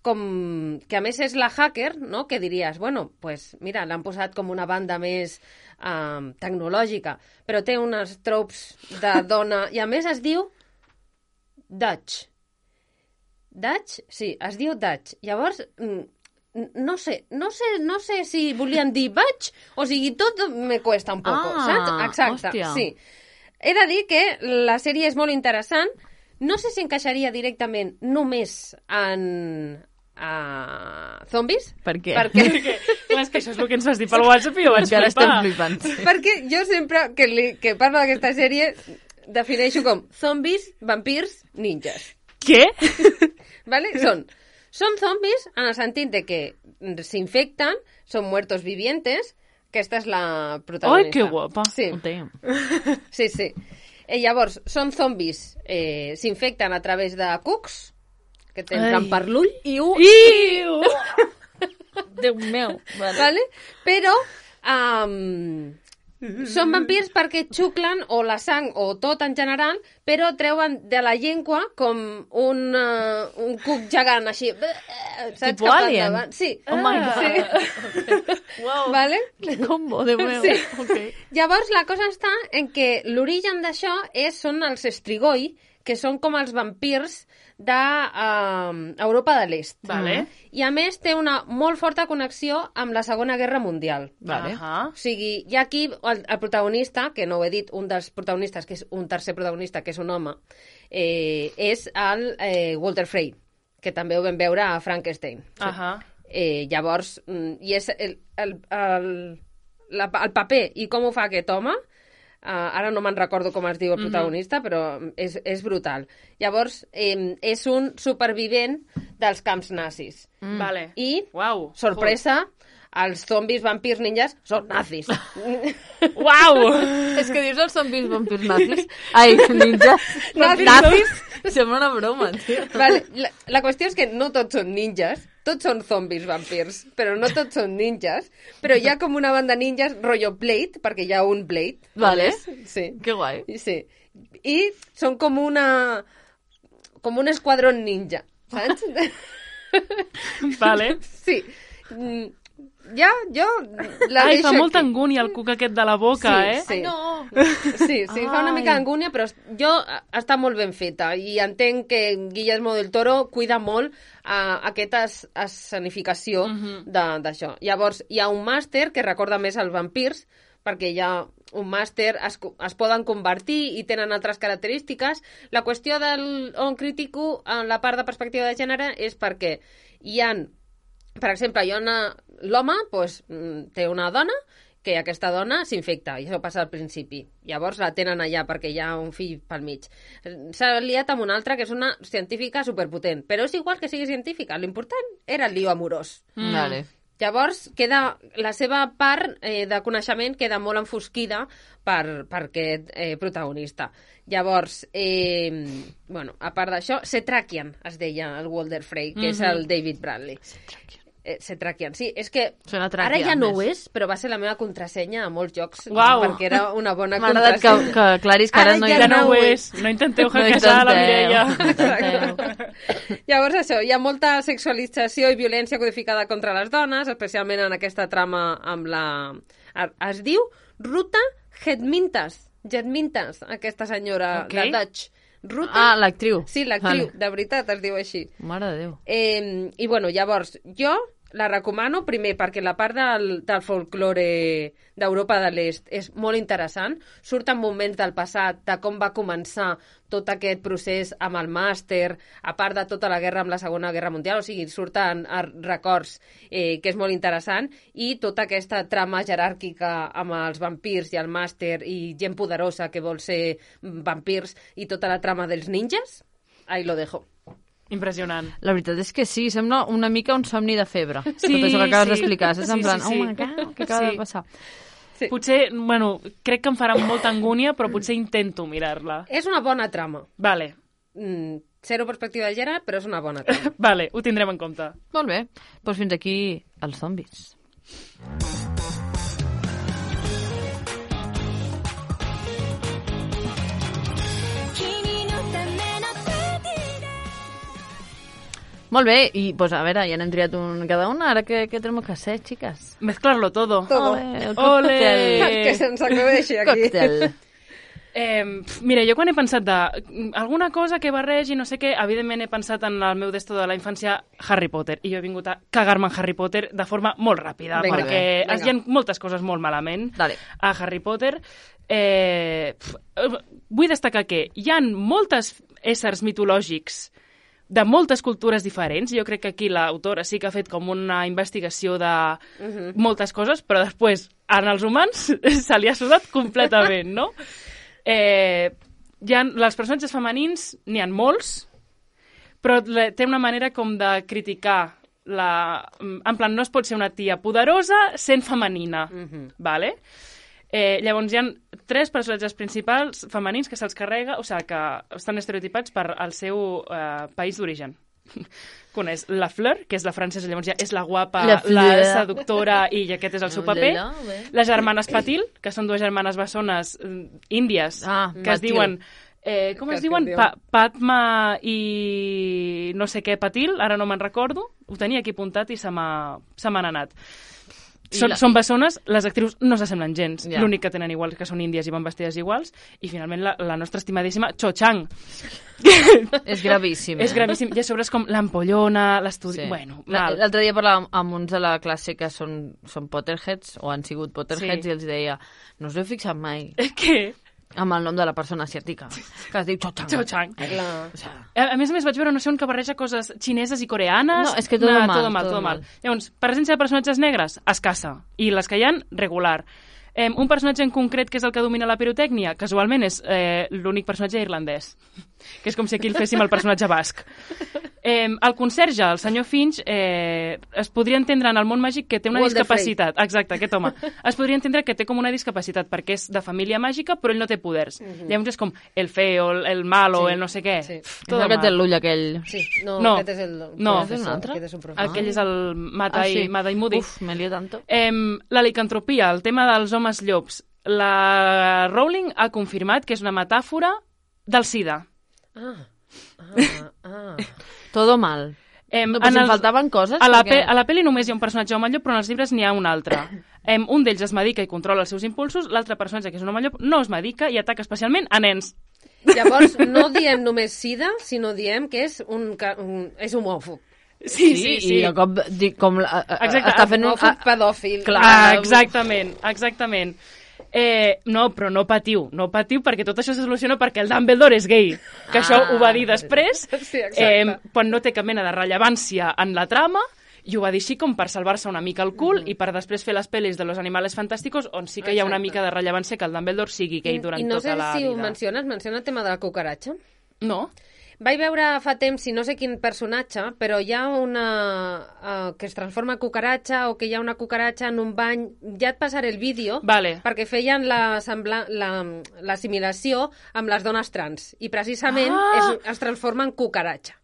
com, que a més és la hacker, no? Que diries, bueno, pues mira, l'han posat com una banda més um, tecnològica, però té unes tropes de dona, i a més es diu Dutch. Dutch? Sí, es diu Dutch. Llavors, no sé, no sé, no sé si volien dir Batch, o sigui, tot me cuesta un poco, Ah, saps? Exacte, hòstia. sí. He de dir que la sèrie és molt interessant. No sé si encaixaria directament només en uh, zombis. Per què? Perquè, Perquè, clar, és que això és el que ens vas dir pel WhatsApp i jo vaig Encara estem flipar. flipant. perquè jo sempre que, li, que parlo d'aquesta sèrie defineixo com zombis, vampirs, ninjas. Què? ¿Vale? Són, són zombis en el sentit de que s'infecten, són muertos vivientes, aquesta és la protagonista. Ai, que guapa. Sí, Oh, damn. sí, sí. Eh, llavors, són zombis, eh, s'infecten a través de cucs, que t'entren Ai. per l'ull, Iu! Iu! Déu meu. Vale. ¿vale? Però um, són vampirs perquè xuclen o la sang o tot en general, però treuen de la llengua com un, uh, un cuc gegant així. Saps? Tipo Cap Alien? endavant. Sí. Oh my God. Sí. Wow. Vale? Que combo, Déu meu. Sí. Okay. Llavors, la cosa està en que l'origen d'això és, són els Strigoi, que són com els vampirs d'Europa de l'Est. Vale. I a més té una molt forta connexió amb la Segona Guerra Mundial. Vale. Ahà. O sigui, hi ha aquí el, el protagonista, que no ho he dit, un dels protagonistes, que és un tercer protagonista, que és un home, eh, és el eh, Walter Frey, que també ho vam veure a Frankenstein. Ahà. Eh, llavors, mm, i és el, el, el, la, el paper i com ho fa aquest home, uh, ara no me'n recordo com es diu el protagonista, mm-hmm. però és, és brutal. Llavors, eh, és un supervivent dels camps nazis. Mm. Vale. I, Uau. sorpresa, els zombis, vampirs, ninjas són nazis. Uau! És que dius els zombis vampirs nazis. Ai, ninjas. Nazis. Nazis. Sembla una broma, tio. Vale, la, la qüestió és que no tots són ninjas, tots són zombis vampirs, però no tots són ninjas, però hi ha com una banda de ninjas rotllo Blade, perquè hi ha un Blade. Vale. Sí. Que guai. Sí. I són com una... com un esquadrón ninja, saps? Vale. Sí. Mm, ja, jo la Ai, deixo fa molta aquí. angúnia el cuc aquest de la boca, Sí, eh? sí. Ai, no. Sí, sí, fa una Ai. mica d'angúnia, però jo està molt ben feta i entenc que Guillermo del Toro cuida molt uh, aquesta es- escenificació Mhm. de- d'això. Llavors, hi ha un màster que recorda més als vampirs, perquè hi ha un màster, es, co- es poden convertir i tenen altres característiques. La qüestió del on critico en la part de perspectiva de gènere és perquè hi han, per exemple, hi ha una, l'home pues, mm, té una dona que aquesta dona s'infecta, i això passa al principi. Llavors la tenen allà perquè hi ha un fill pel mig. S'ha liat amb una altra que és una científica superpotent, però és igual que sigui científica, l'important era el lío amorós. Mm. Vale. Llavors, queda, la seva part eh, de coneixement queda molt enfosquida per, per aquest eh, protagonista. Llavors, eh, bueno, a part d'això, Setrakian es deia el Walter Frey, que mm-hmm. és el David Bradley. Eh, Setrakian, sí, és que Sona ara tràquea, ja no més. ho és, però va ser la meva contrasenya a molts jocs, Uau. perquè era una bona M'ha agradat que, contrasenya. que aclaris que ara, Ara no hi ja ha... Que no no ho ho és. No intenteu No hackejar la intenteu. Mireia. Llavors això, hi ha molta sexualització i violència codificada contra les dones, especialment en aquesta trama amb la... Es diu Ruta Gedmintas, Gedmintas, aquesta senyora Ok. de Dutch. Ruta... Ah, l'actriu. Sí, l'actriu, Vale. de veritat es diu així. Mare de Déu. Eh, I bueno, llavors, jo la recomano, primer, perquè la part del, del folklore d'Europa de l'Est és molt interessant. Surten moments del passat, de com va començar tot aquest procés amb el màster, a part de tota la guerra amb la Segona Guerra Mundial, o sigui, surten records eh, que és molt interessant, i tota aquesta trama jeràrquica amb els vampirs i el màster i gent poderosa que vol ser vampirs i tota la trama dels ninjas, ahí lo dejo. Impressionant. La veritat és que sí, sembla una mica un somni de febre. Sí, tot això que acabes sí. d'explicar. Saps? En Sí, plan, sí, sí. oh my God, què acaba Sí. de passar? Sí. Potser, bueno, crec que em farà molta angúnia, però potser intento mirar-la. És una bona trama. Vale, Mm, zero perspectiva de gènere, però és una bona trama. vale, ho tindrem en compte. Molt bé. Doncs fins aquí els zombis. Molt bé, i pues, a veure, ja n'hem triat un cada una, ara què, què tenim que fer, xiques? Mezclarlo todo. Todo. Ole, el Ole! còctel. que se'ns acudeixi aquí. Còctel. Eh, pf, mira, jo quan he pensat de mm, alguna cosa que barregi, no sé què, evidentment he pensat en el meu desto de la infància, Harry Potter, i jo he vingut a cagar-me en Harry Potter de forma molt ràpida, Vinga, perquè vinga. es hi ha moltes coses molt malament Dale. a Harry Potter. Eh, pf, eh, vull destacar que hi han moltes éssers mitològics de moltes cultures diferents. Jo crec que aquí l'autora sí que ha fet com una investigació de Mhm. moltes coses, però després en els humans se li ha sudat completament, no? Eh, hi ha, els personatges femenins n'hi ha molts, però le- té una manera com de criticar la... En plan, no es pot ser una tia poderosa sent femenina, Mhm. vale? Eh, llavors hi ha tres personatges principals femenins que se'ls carrega, o sigui, que estan estereotipats per al seu eh, país d'origen. Que una és la Fleur, que és la francesa, llavors ja és la guapa, La la, Fleur. seductora, i aquest és el seu paper. Hola, bé. Les germanes Patil, que són dues germanes bessones eh, índies, Ah, que es Patil. diuen... Eh, com Que es es diuen? diuen? Pa Padma i no sé què Patil, ara no me'n recordo. Ho tenia aquí apuntat i se m'ha se m'han anat. I Són, la- són bessones, les actrius no s'assemblen gens. Ja. L'únic que tenen igual que són índies i van vestides iguals. I finalment la, la nostra estimadíssima Cho Chang. És gravíssim. És eh? gravíssim. I a sobre és com l'ampollona, l'estudi... Sí. Bueno, La- mal. L'altre dia parlàvem amb uns de la classe que són, són Potterheads, o han sigut Potterheads, Sí. i els deia, no us heu fixat mai Què? amb el nom de la persona asiàtica, que es diu Cho Chang. Cho Chang. La... O sea, A, a més a més vaig veure no sé on que barreja coses xineses i coreanes. No, és que todo Nah, mal, todo mal, todo todo mal. mal. Llavors, presència de personatges negres, escassa. I les que hi ha, regular. Eh, un personatge en concret que és el que domina la pirotècnia, casualment és eh, l'únic personatge irlandès. Que és com si aquí el féssim el personatge basc. Eh, el conserge, el senyor Finch, eh, es podria entendre en el món màgic que té una Walder discapacitat. Exacte, aquest home. Es podria entendre que té com una discapacitat perquè és de família màgica, però ell no té poders. Llavors és com el feo, el, el malo, Sí, el no sé què. sí. Pff, és todo el que mal. té l'ull aquell. Sí, no, No, aquest és el no. professor, És un altre? aquest és un professor. Aquell és el Mata i, Mada i Moody. Uf, me lío tanto. Eh, la licantropia, el tema dels homes llops. La Rowling ha confirmat que és una metàfora del SIDA. Ah, ah, ah. Todo mal. Eh, No, però si em faltaven coses, A la, perquè- pe a la pel·li només hi ha un personatge home llop, però en els llibres n'hi ha un altre. Eh, un d'ells es medica i controla els seus impulsos, l'altre personatge, que és un home llop, no es medica i ataca especialment a nens. Llavors, no diem només sida, sinó diem que és un, ca- un és homòfob. Sí, sí, sí. I de cop, di, com la, a- a- Exacte, està fent un... Homòfob pedòfil. Clar. Ah, exactament, exactament. Eh, no, però no patiu, no patiu perquè tot això se soluciona perquè el Dumbledore és gay, que Ah. això ho va dir després, Sí, exacte. eh, quan no té cap mena de rellevància en la trama, i ho va dir així com per salvar-se una mica el cul i per després fer les pel·lis de Los Animales Fantásticos, on sí que hi ha una Exacte. mica de rellevància que el Dumbledore sigui gay durant I no tota sé la si ho vida. menciones, menciona el tema de la cucaratxa. No? Vaig veure fa temps, si no sé quin personatge, però hi ha una... Uh, que es transforma en cucaratxa o que hi ha una cucaratxa en un bany. Ja et passaré el vídeo, Vale. perquè feien la sembla- la- l'assimilació amb les dones trans. I precisament Ah! es, es transforma en cucaratxa.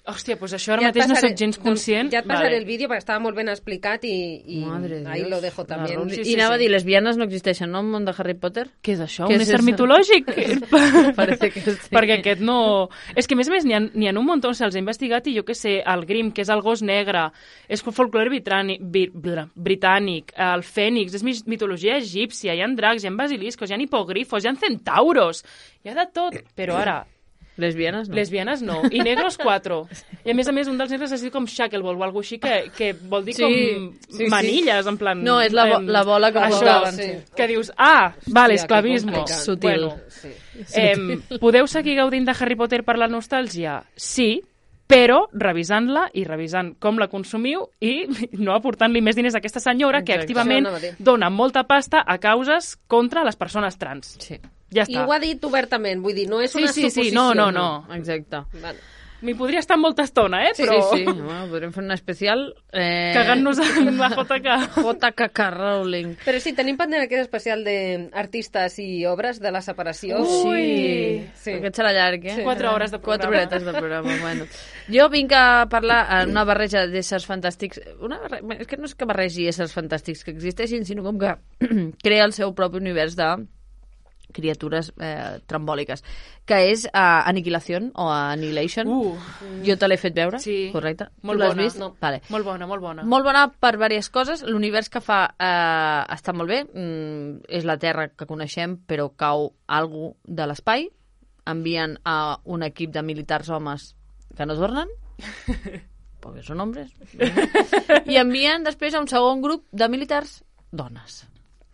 Hòstia, doncs això ara Ja et mateix no passaré- soc gens doncs conscient. ja et passaré Vale. el vídeo perquè estava molt ben explicat i, i Madre de ahí Dios. lo dejo La també. Rowling. Sí, I sí, anava sí. a dir, lesbianes no existeixen, no? En el món de Harry Potter? Què és això? Què Un és ésser eso? mitològic? Parece que sí. Perquè aquest no... És que, a més a més, n'hi ha, n'hi ha un munt, se'ls ha investigat, i jo que sé, el Grimm, que és el gos negre, és folklore britànic, britànic, el fènix, és mi- mitologia egípcia, hi ha dracs, hi ha basiliscos, hi ha hipogrifos, hi ha centauros, hi ha de tot. Però ara, Lesbianes no. Lesbianes no. I negros, quatre. I a més a més, un dels negres es diu com shackleball o alguna cosa així, que, que vol dir Sí, com sí, manilles, en plan... No, és la, bo em, la bola que això, posaven. sí. que dius, ah, vale, Hòstia, que esclavismo. complicat. Sutil. Bueno, Sí. eh, podeu seguir gaudint de Harry Potter per la nostàlgia? Sí, però revisant-la i revisant com la consumiu i no aportant-li més diners a aquesta senyora que Exacte. activament Això anava a dir. dona molta pasta a causes contra les persones trans. Sí. Ja I està. ho ha dit obertament, vull dir, no és Sí, una sí, sí, suposició. no, no, no. Exacte. Vale. M'hi podria estar molta estona, eh? Sí, Però sí, sí. Bueno, podríem fer un especial... Eh... cagant-nos en la J K. J K K Rowling. Però sí, tenim pendent aquest especial d'artistes i obres de la separació. Ui! Sí. Aquest serà llarg, eh? Quatre hores de programa. Quatre horetes de programa, bueno. Jo vinc a parlar en una barreja d'éssers fantàstics. Una barre... És que no és que barregi éssers fantàstics que existeixin, sinó com que crea el seu propi univers de criatures eh, trambòliques, que és uh, Aniquilación o Annihilation. Uh, Jo te l'he fet veure, Sí. correcte? Molt Tu l'has bona. vist? No. Vale. molt bona, molt bona. Molt bona per diverses coses. L'univers que fa eh, està molt bé. Mm, és la Terra que coneixem, però cau algú de l'espai. Envien a un equip de militars homes que no tornen, perquè són homes. I envien després a un segon grup de militars dones.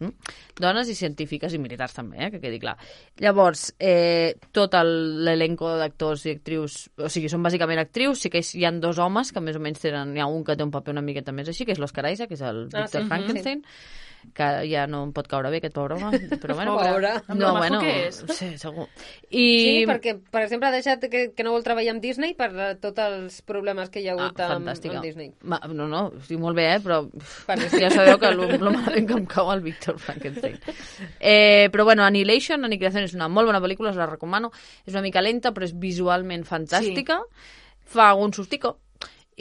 Mm? Dones i científiques i militars també, eh, que quedi clar. Llavors, eh, tot el- l'elenco d'actors i actrius, o sigui, són bàsicament actrius, sí que hi ha dos homes que més o menys tenen, hi ha un que té un paper una miqueta més així, que és l'Oscar Isaac, que és el Ah, Victor sí. Frankenstein, que ja no em pot caure bé aquest pobre home, però bueno, Pobre. Amb no, lo majo bueno, que és. sí, segur. Sí, I perquè, per exemple, ha deixat que, que no vol treballar amb Disney per eh, tots els problemes que hi ha hagut ah, amb, fantàstica. amb Disney. Ma, no, no, estic molt bé, eh, però Perquè ja sabeu que lo, lo malament que em cau el Victor Frankenstein. Eh, però bueno, Annihilation, Aniquilación és una molt bona pel·lícula, us la recomano. És una mica lenta, però és visualment fantàstica. Sí. Fa un sustico.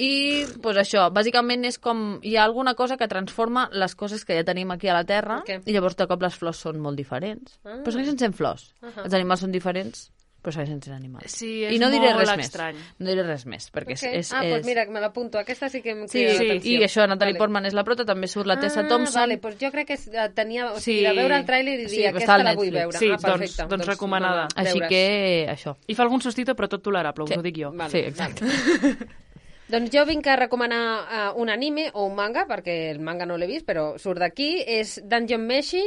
I, pues això, bàsicament és com... Hi ha alguna cosa que transforma les coses que ja tenim aquí a la Terra, Ok. i llavors de cop les flors són molt diferents. Ah. Però segueixen sent flors. Uh -huh. Els animals són diferents, però segueixen sent animals. Sí, és I no diré molt res estrany. més. No diré res més, perquè Ok. és... és, ah, és... doncs mira, me l'apunto. Aquesta sí que em Sí, crida sí, l'atenció. i això, Natalie Vale. Portman és la prota, també surt la Tessa ah, Thompson. Vale, doncs jo crec que eh, tenia... O Sí. sigui, de veure el tràiler i dir, Sí, està aquesta al la vull Netflix. veure. Sí, ah, perfecte. doncs- doncs recomanada. va, Així deures. que, això. I fa algun sustito, però tot tolerable, us Sí. ho dic jo. Vale, Sí, exacte. Doncs jo vinc a recomanar uh, un anime o un manga, perquè el manga no l'he vist, però surt d'aquí. És Dungeon Meshi,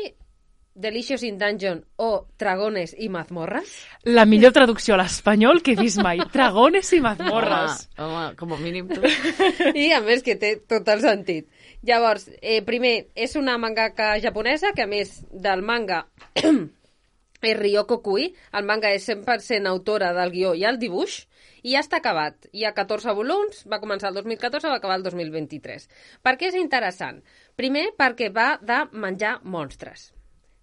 Delicious in Dungeon o Dragones i mazmorras. La millor traducció a l'espanyol que he vist mai. Dragones i mazmorres. Home, home, com a mínim. Tu. I a més que té tot el sentit. Llavors, eh, primer, és una mangaka japonesa que a més del manga és Ryoko Kui. El manga és cent per cent autora del guió i el dibuix i ja està acabat. Hi ha catorze volums, va començar el dos mil catorze, va acabar el dos mil vint-i-tres. Per què és interessant? Primer, perquè va de menjar monstres.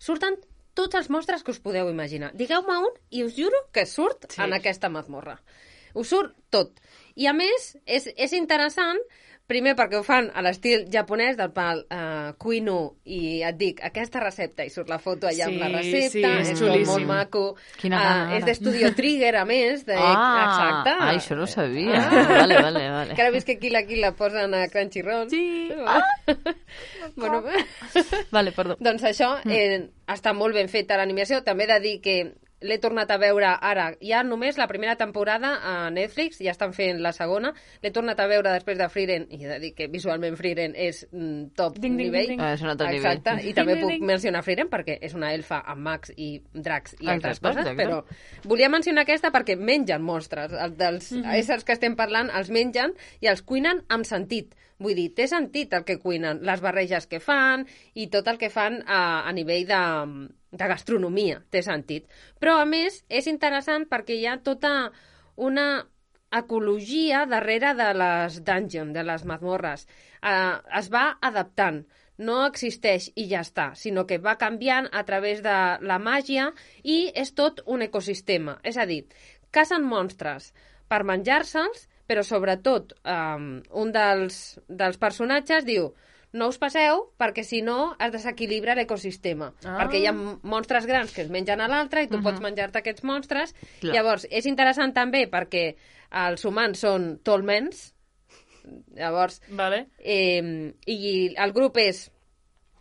Surten tots els monstres que us podeu imaginar. Digueu-me un i us juro que surt Sí. en aquesta mazmorra. Us surt tot. I a més, és, és interessant, primer perquè ho fan a l'estil japonès del pal uh, Kuinu, i et dic, aquesta recepta, i surt la foto allà Sí, amb la recepta, sí, és és com xulíssim. molt maco. Quina Ah, gana, és ara. d'Estudio Trigger, a més. De, Ah, exacte. ai, això no ho sabia. Ah. Vale, vale, vale. Que ara vist que aquí la, aquí la posen a Crunchyroll. Sí. Ah. bueno, Vale, perdó. doncs això eh, està molt ben feta l'animació. També he de dir que l'he tornat a veure ara. Hi ha només la primera temporada a Netflix, ja estan fent la segona. L'he tornat a veure després de Frieren, i he de dir que visualment Frieren és mm, top Ding, ding, nivell. ding, ding. Ah, és un altre Exacte, nivell. i també Ding, puc ding. mencionar Frieren perquè és una elfa amb mags i dracs i altres Exacte, coses, exacte. però volia mencionar aquesta perquè mengen monstres. Els dels Mhm. éssers que estem parlant els mengen i els cuinen amb sentit. Vull dir, té sentit el que cuinen, les barreges que fan i tot el que fan a, a nivell de, de gastronomia, té sentit. Però, a més, és interessant perquè hi ha tota una ecologia darrere de les dungeons, de les mazmorres. Eh, es va adaptant. No existeix i ja està, sinó que va canviant a través de la màgia i és tot un ecosistema. És a dir, cacen monstres per menjar-se'ls, però sobretot um, un dels, dels personatges diu no us passeu perquè si no es desequilibra l'ecosistema. Ah. Perquè hi ha monstres grans que es mengen a l'altre i tu Mhm. pots menjar-te aquests monstres. Clar. Llavors, és interessant també perquè els humans són tolmens. Llavors, Vale. eh, i el grup és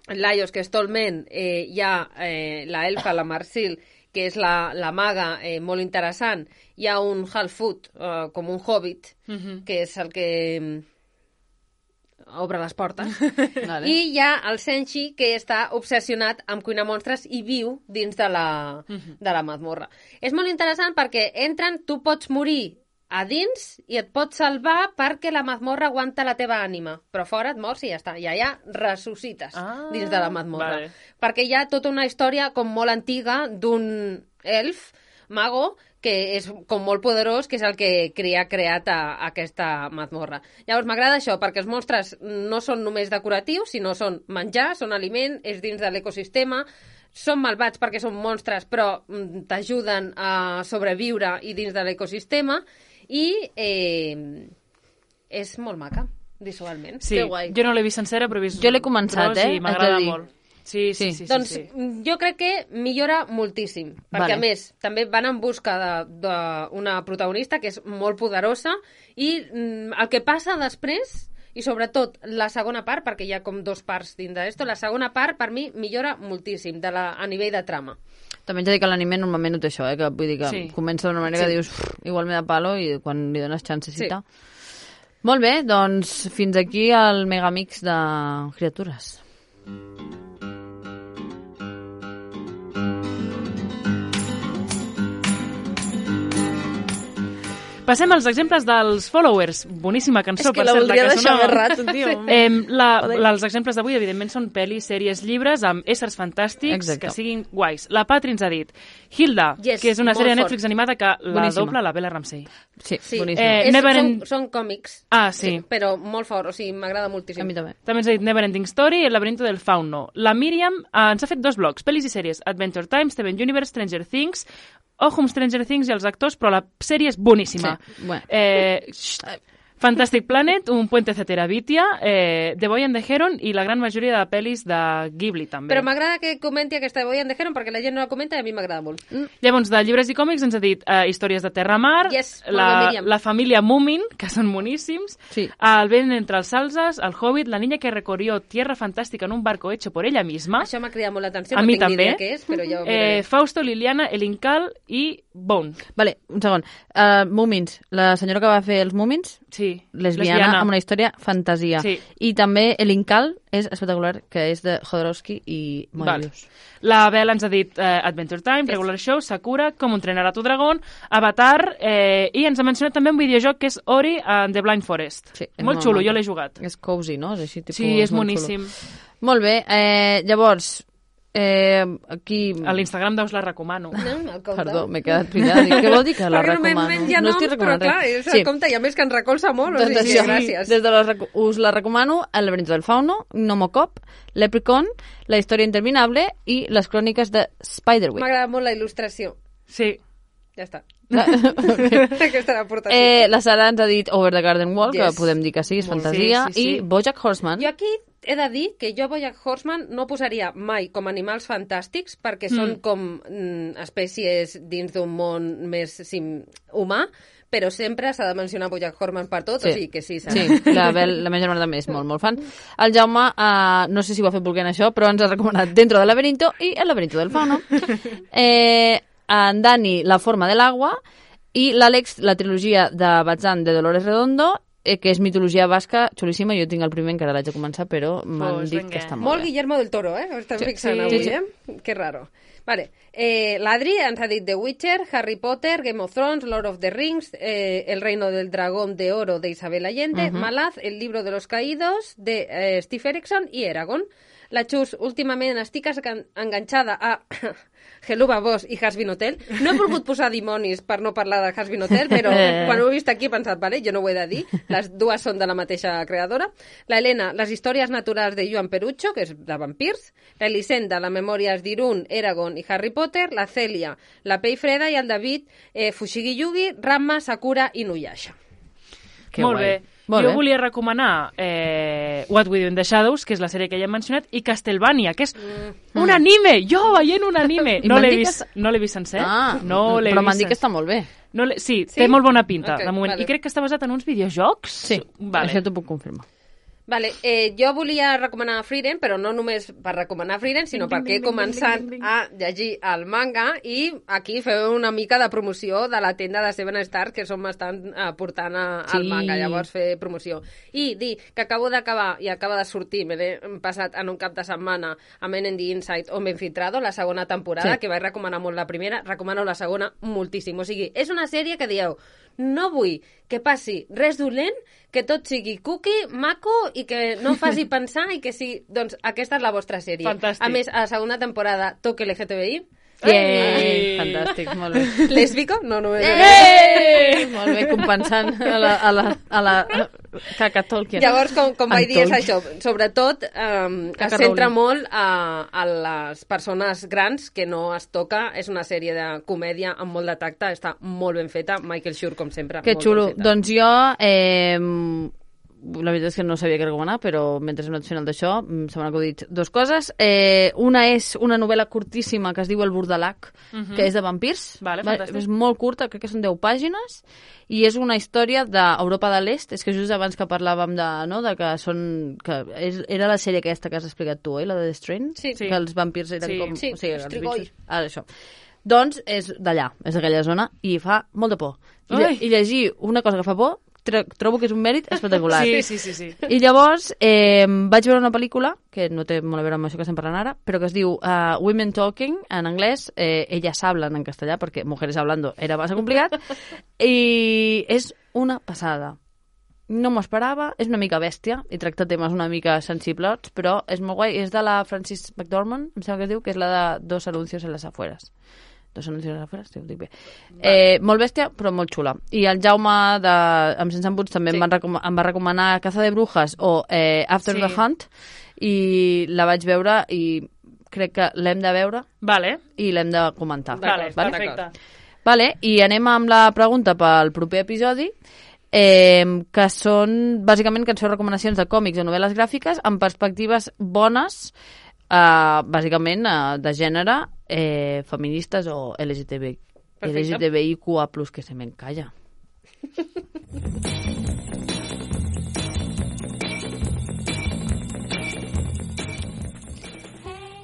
Laios, que és Tolmen, eh, hi ha eh, la Elfa, la Marsil que és la, la maga, eh, molt interessant. Hi ha un Half-Foot, eh, com un hobbit, uh-huh. que és el que obre les portes. Vale. I hi ha el Senshi, que està obsessionat amb cuinar monstres i viu dins de la, uh-huh. de la mazmorra. És molt interessant perquè entren, tu pots morir a dins i et pots salvar perquè la mazmorra aguanta la teva ànima. Però fora et mors i ja està. I allà ressuscites ah, dins de la mazmorra. Vale. Perquè hi ha tota una història com molt antiga d'un elf, mago, que és com molt poderós, que és el que ha creat a, a aquesta mazmorra. Llavors m'agrada això, perquè els monstres no són només decoratius, sinó són menjar, són aliment, és dins de l'ecosistema, són malvats perquè són monstres, però mm, t'ajuden a sobreviure i dins de l'ecosistema, i eh, és molt maca, visualment. Sí, que guai. Jo no l'he vist sencera, però he vist... Jo l'he començat, tros, eh? I m'agrada molt. Sí, sí, sí. sí doncs sí, sí. jo crec que millora moltíssim, perquè vale. A més també van en busca d'una protagonista que és molt poderosa i mm, el que passa després, i sobretot la segona part, perquè hi ha com dos parts dins d'esto, la segona part per mi millora moltíssim de la, a nivell de trama. També haig de dir que l'anime normalment no té això, eh? Que vull dir que sí. Comença d'una manera sí. Que dius igual me da palo i quan li dones chancecita. Sí. Molt bé, doncs fins aquí el megamix de criatures. Passem als exemples dels followers. Boníssima cançó, per cert. És que la voldria deixar més rato, tio. Eh, la, la, els exemples d'avui, evidentment, són pel·lis, sèries, llibres amb éssers fantàstics Exacte. Que siguin guais. La Patri ens ha dit Hilda, yes, que és una sèrie de Netflix fort. Animada que la boníssima. Dobla la Bella Ramsey. Sí, sí. Eh, és, Never són, en... són còmics, ah, sí. sí, però molt fort, o sigui, m'agrada moltíssim. A mi també. També ens ha dit Never Ending Story i El laberinto del fauno. La Míriam eh, ens ha fet dos blogs, pel·lis i sèries, Adventure Time, Steven Universe, Stranger Things, ojo amb Stranger Things i els actors, però la sèrie és boníssima. Sí, bueno. Eh, Fantastic Planet, Un puente hacia Terabitia, eh, The Boy and the Heron i la gran majoria de pel·lis de Ghibli, també. Però m'agrada que comenti aquesta The Boy and the Heron perquè la gent no la comenta i a mi m'agrada molt. Mm. Llavors, de llibres i còmics ens ha dit eh, Històries de Terra-Mar, yes, la, la família Moomin, que són boníssims, sí. El vent entre els salzes, El Hobbit, La niña que recorrió Tierra Fantástica en un barco hecho por ella misma. Això m'ha cridat molt l'atenció, a no mi tinc també. ni idea què és, però ja ho eh, Fausto, Liliana, El Incal i Bone. Vale, un segon. Uh, Múmins. La senyora que va fer els Múmins, sí. lesbiana, lesbiana, amb una història fantasia. Sí. I també El Incal és espectacular, que és de Jodorowsky i Moebius. Vale. La Bel ens ha dit eh, Adventure Time, yes. Regular Show, Sakura, Com entrenar a tu dragón, Avatar, eh, i ens ha mencionat també un videojoc que és Ori and the Blind Forest. Sí, molt, molt xulo, jo l'he jugat. És cozy, no? És així, tipus, sí, és boníssim. Xulo. Molt bé, eh, llavors... Eh, aquí... A l'Instagram d'us la recomano. No, Perdó, m'he quedat pillat. Què vol dir que la recomano? Ja no, no estic recomanant però clar, és, sí. Compte, i a més que ens recolza molt, doncs o sigui, això, gràcies. Des de la, us la recomano El laberinto del fauno, Nomocop, Leprechaun, La història interminable i Les cròniques de Spiderwick. M'agrada molt la il·lustració. Sí. Ja està. Okay. Aquesta era l'aportació. Eh, la Sara ens ha dit Over the Garden Wall, yes. Que podem dir que sí, és molt fantasia, sí, sí, sí. I BoJack Horseman. Jo aquí he de dir que jo BoJack Horseman no posaria mai com animals fantàstics perquè mm. són com mm, espècies dins d'un món més sim, humà, però sempre s'ha de mencionar BoJack Horseman per tot, sí. O sigui que sí. Sí, la, Bel, la meva germana també és molt, molt fan. El Jaume, uh, no sé si ho ha fet volent això, però ens ha recomanat Dentro del laberinto i El laberinto del fauno. Eh, en Dani, La forma de l'agua, i l'Àlex, la trilogia de Bazán de Dolores Redondo, eh, que és mitologia basca, xulíssima. Jo tinc el primer, encara l'haig de començar, però m'han pues dit venga. que està molt, molt bé. Guillermo del Toro, eh? Ho estem sí, fixant sí, avui, sí, sí. eh? Que raro. Vale. Eh, L'Adri ens ha dit The Witcher, Harry Potter, Game of Thrones, Lord of the Rings, eh, El reino del dragón de oro de Isabel Allende, uh-huh. Malaz, El libro de los caídos de eh, Steve Erickson i Eragon. La Xus, últimament estic enganxada a Geluba Boss i Hazbin Hotel. No he volgut posar dimonis per no parlar de Hazbin Hotel, però quan ho he vist aquí he pensat, vale, jo no ho he de dir, les dues són de la mateixa creadora. La Helena, Les històries naturals de Joan Perucho, que és de vampirs. La Elisenda, La memòries d'Irún, Eragon i Harry Potter. La Cèlia, La Pell Freda, i el David, eh, Fushigi Yugi, Ranma, Sakura i Nuyasha. Que molt guai. Bé. Molt jo bé. Volia recomanar eh, What We Do in the Shadows, que és la sèrie que ja hem mencionat, i Castlevania, que és mm. un anime! Jo veient un anime! No l'he vist, que... no l'he vist sencer. Ah, no però m'han dit que està molt bé. No sí, sí, té molt bona pinta, okay, de moment. vale. I crec que està basat en uns videojocs. Sí, vale. això t'ho puc confirmar. Vale, eh, jo volia recomanar Frieren, però no només per recomanar Frieren, sinó Ding, ding, perquè he ding, ding, començat ding, ding, ding. a llegir el manga i aquí feu una mica de promoció de la tenda de Seven Stars que som estan eh, portant a, al Sí. manga, llavors fer promoció. I dir que acabo d'acabar i acaba de sortir, me l'he passat en un cap de setmana a Men in the Inside o M'Infiltrado, la segona temporada, Sí. que vaig recomanar molt la primera, recomano la segona moltíssim. O sigui, és una sèrie que dieu, no vull que passi res dolent, que tot sigui cookie, maco i que no em faci pensar i que sí, doncs aquesta és la vostra sèrie. Fantàstic. A més, a la segona temporada toque L G T B I. Ei! Fantàstic, molt bé. Lésbico? No, no és... Ei! Molt bé, compensant a la, a la, a la caca Tolkien. Llavors, com, com vaig En dir, és Tolkien. això. Sobretot, um, es Caca centra Rowling. molt a, a les persones grans que no es toca. És una sèrie de comèdia amb molt de tacte. Està molt ben feta. Michael Schur, com sempre. Que molt xulo. Ben feta. Doncs jo, eh, la veritat és que no sabia què recomanar, però mentre hem anat fent el d'això, mm, se m'han acudit dues coses. Eh, una és una novel·la curtíssima que es diu El Burdalac, Mhm. que és de vampirs. Vale, Va- fantàstic. és molt curta, crec que són deu pàgines, i és una història d'Europa de l'Est. És que just abans que parlàvem de, no, de que són... Que és, era la sèrie aquesta que has explicat tu, oi? La de The Strain? Sí. Sí. Que els vampirs eren Sí. com... Sí, o sigui, els Strigoi. bitxos. Ah, això. Doncs és d'allà, és d'aquella zona, i fa molta por. I, lle- Ai. I llegir una cosa que fa por, tro- trobo que és un mèrit espectacular. Sí, sí, sí, sí. I llavors eh, vaig veure una pel·lícula, que no té molt a veure amb això que estem parlant ara, però que es diu uh, Women Talking, en anglès, eh, Ellas hablan en castellà, perquè Mujeres hablando era massa complicat, i és una passada. No m'ho esperava, és una mica bèstia, i tracta temes una mica sensibles, però és molt guai. És de la Frances McDormand, em sembla que es diu, que és la de Dos anuncios en las afueras. Dos anuncios en las afueras, sí, ho dic bé. Eh, molt bèstia, però molt xula. I el Jaume, de, amb Sense Embuts, també Sí. em, van recom em va recomanar Caza de Brujas o eh, After Sí. the Hunt, i la vaig veure i crec que l'hem de veure Vale, i l'hem de comentar. vale, D'acord, perfecte. Vale, i anem amb la pregunta pel proper episodi, eh, que són bàsicament que ens feu recomanacions de còmics o novel·les gràfiques amb perspectives bones, eh, bàsicament eh, de gènere, eh, feministes o L G T B, Perfecte. L G T B I Q A plus, que se me encalla.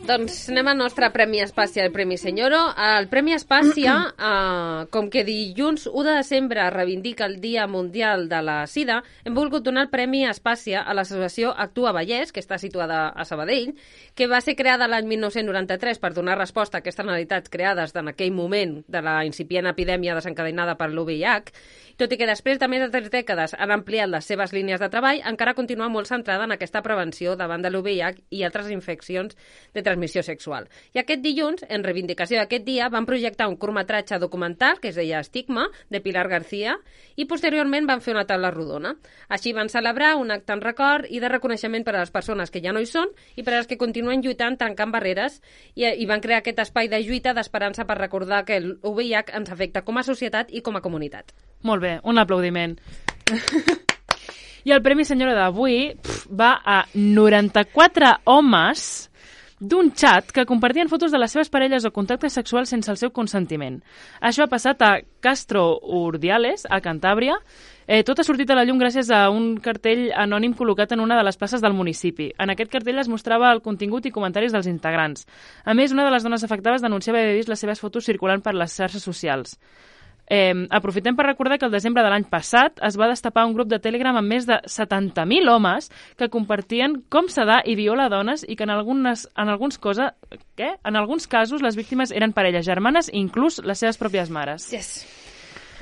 Doncs anem al nostre Premi Espàcia, el Premi Senyoro. El Premi Espàcia, eh, com que dilluns u de desembre reivindica el Dia Mundial de la Sida, hem volgut donar el Premi Espàcia a l'associació Actua Vallès, que està situada a Sabadell, que va ser creada l'any mil nou-cents noranta-tres per donar resposta a aquestes necessitats creades en aquell moment de la incipient epidèmia desencadenada per l'U V I H, tot i que després de més de tres dècades han ampliat les seves línies de treball, encara continua molt centrada en aquesta prevenció davant de l'U V I H i altres infeccions de transmissió sexual. I aquest dilluns, en reivindicació d'aquest dia, van projectar un curtmetratge documental que es deia Estigma, de Pilar García, i posteriorment van fer una taula rodona. Així van celebrar un acte en record i de reconeixement per a les persones que ja no hi són i per a les que continuen lluitant tancant barreres i, i van crear aquest espai de lluita d'esperança per recordar que l'U V I H ens afecta com a societat i com a comunitat. Molt bé, un aplaudiment. I el Premi Senyora d'avui pf, va a noranta-quatre homes d'un xat que compartien fotos de les seves parelles o contactes sexuals sense el seu consentiment. Això ha passat a Castro Urdiales, a Cantàbria. Eh, tot ha sortit a la llum gràcies a un cartell anònim col·locat en una de les places del municipi. En aquest cartell es mostrava el contingut i comentaris dels integrants. A més, una de les dones afectades denunciava haver vist les seves fotos circulant per les xarxes socials. Eh, aprofitem per recordar que el desembre de l'any passat es va destapar un grup de Telegram amb més de setanta mil homes que compartien com sedar i violar dones i que en, algunes, en, alguns cosa, què? en alguns casos les víctimes eren parelles germanes i inclús les seves pròpies mares. Yes.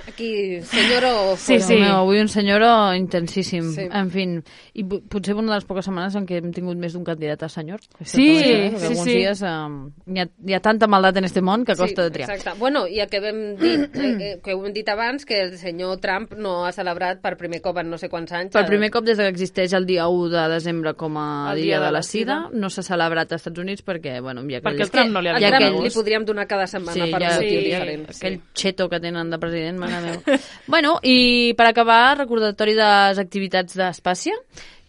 Aquí, senyoro... Sí, Déu sí. meu, avui un senyoro intensíssim. Sí. En fin, i po- potser una de les poques setmanes en què hem tingut més d'un candidat a senyor. Això Sí, també, eh? Perquè sí, alguns sí. dies eh, hi, ha, hi ha tanta maldat en este món que costa de triar. Exacte. Bueno, i el que vam dir, eh, eh, que ho hem dit abans, que el senyor Trump no ha celebrat per primer cop en no sé quants anys. Per primer cop des que existeix el dia u de desembre com a El dia, de la sida, no s'ha celebrat als Estats Units perquè, bueno, hi ha Perquè aquell, el Trump no li ha El donat Trump gust. li podríem donar cada setmana sí, per hi ha, un motiu sí, diferent. aquell xeto que tenen de president, mare meva. Bueno, i per acabar, recordatori de les activitats d'Espàcia,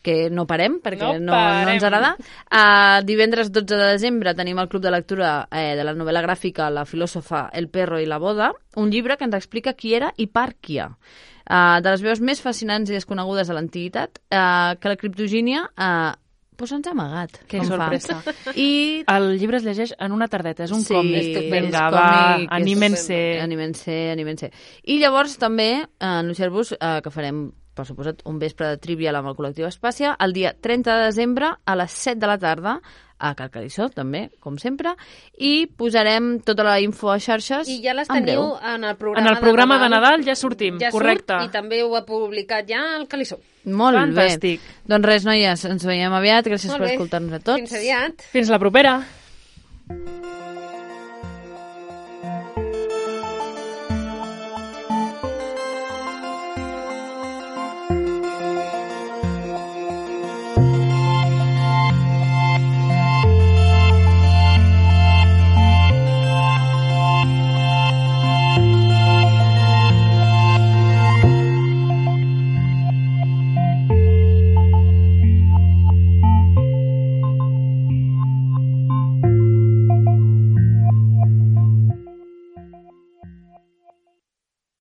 que no parem, perquè No no, no, parem. ens agrada. Uh, divendres dotze de desembre tenim el Club de Lectura eh, de la novel·la gràfica La filòsofa, el perro i la boda, un llibre que ens explica qui era Hipàrquia. uh, de les veus més fascinants i desconegudes de l'antiguitat, uh, que la criptogínia uh, pues ens ha amagat. Que com sorpresa. Fa. I... El llibre es llegeix en una tardeta, és un sí, còmic. Vinga, és va, còmic, anímense. Anímense, anímense. I llavors també, eh, anunciar-vos eh, que farem, per suposat, un vespre de trivial amb el col·lectiu Espàcia, el dia trenta de desembre a les set de la tarda, a Carcarissó, també, com sempre, i posarem tota la info a xarxes I ja les en teniu breu. en el programa, En el programa de de Nadal, de Nadal ja sortim, ja correcte. Surt, I també ho ha publicat ja el Calissó. Molt Fantàstic. bé. Doncs res, noies, ens veiem aviat. Gràcies Molt per bé. escoltar-nos a tots. Fins aviat. Fins la propera.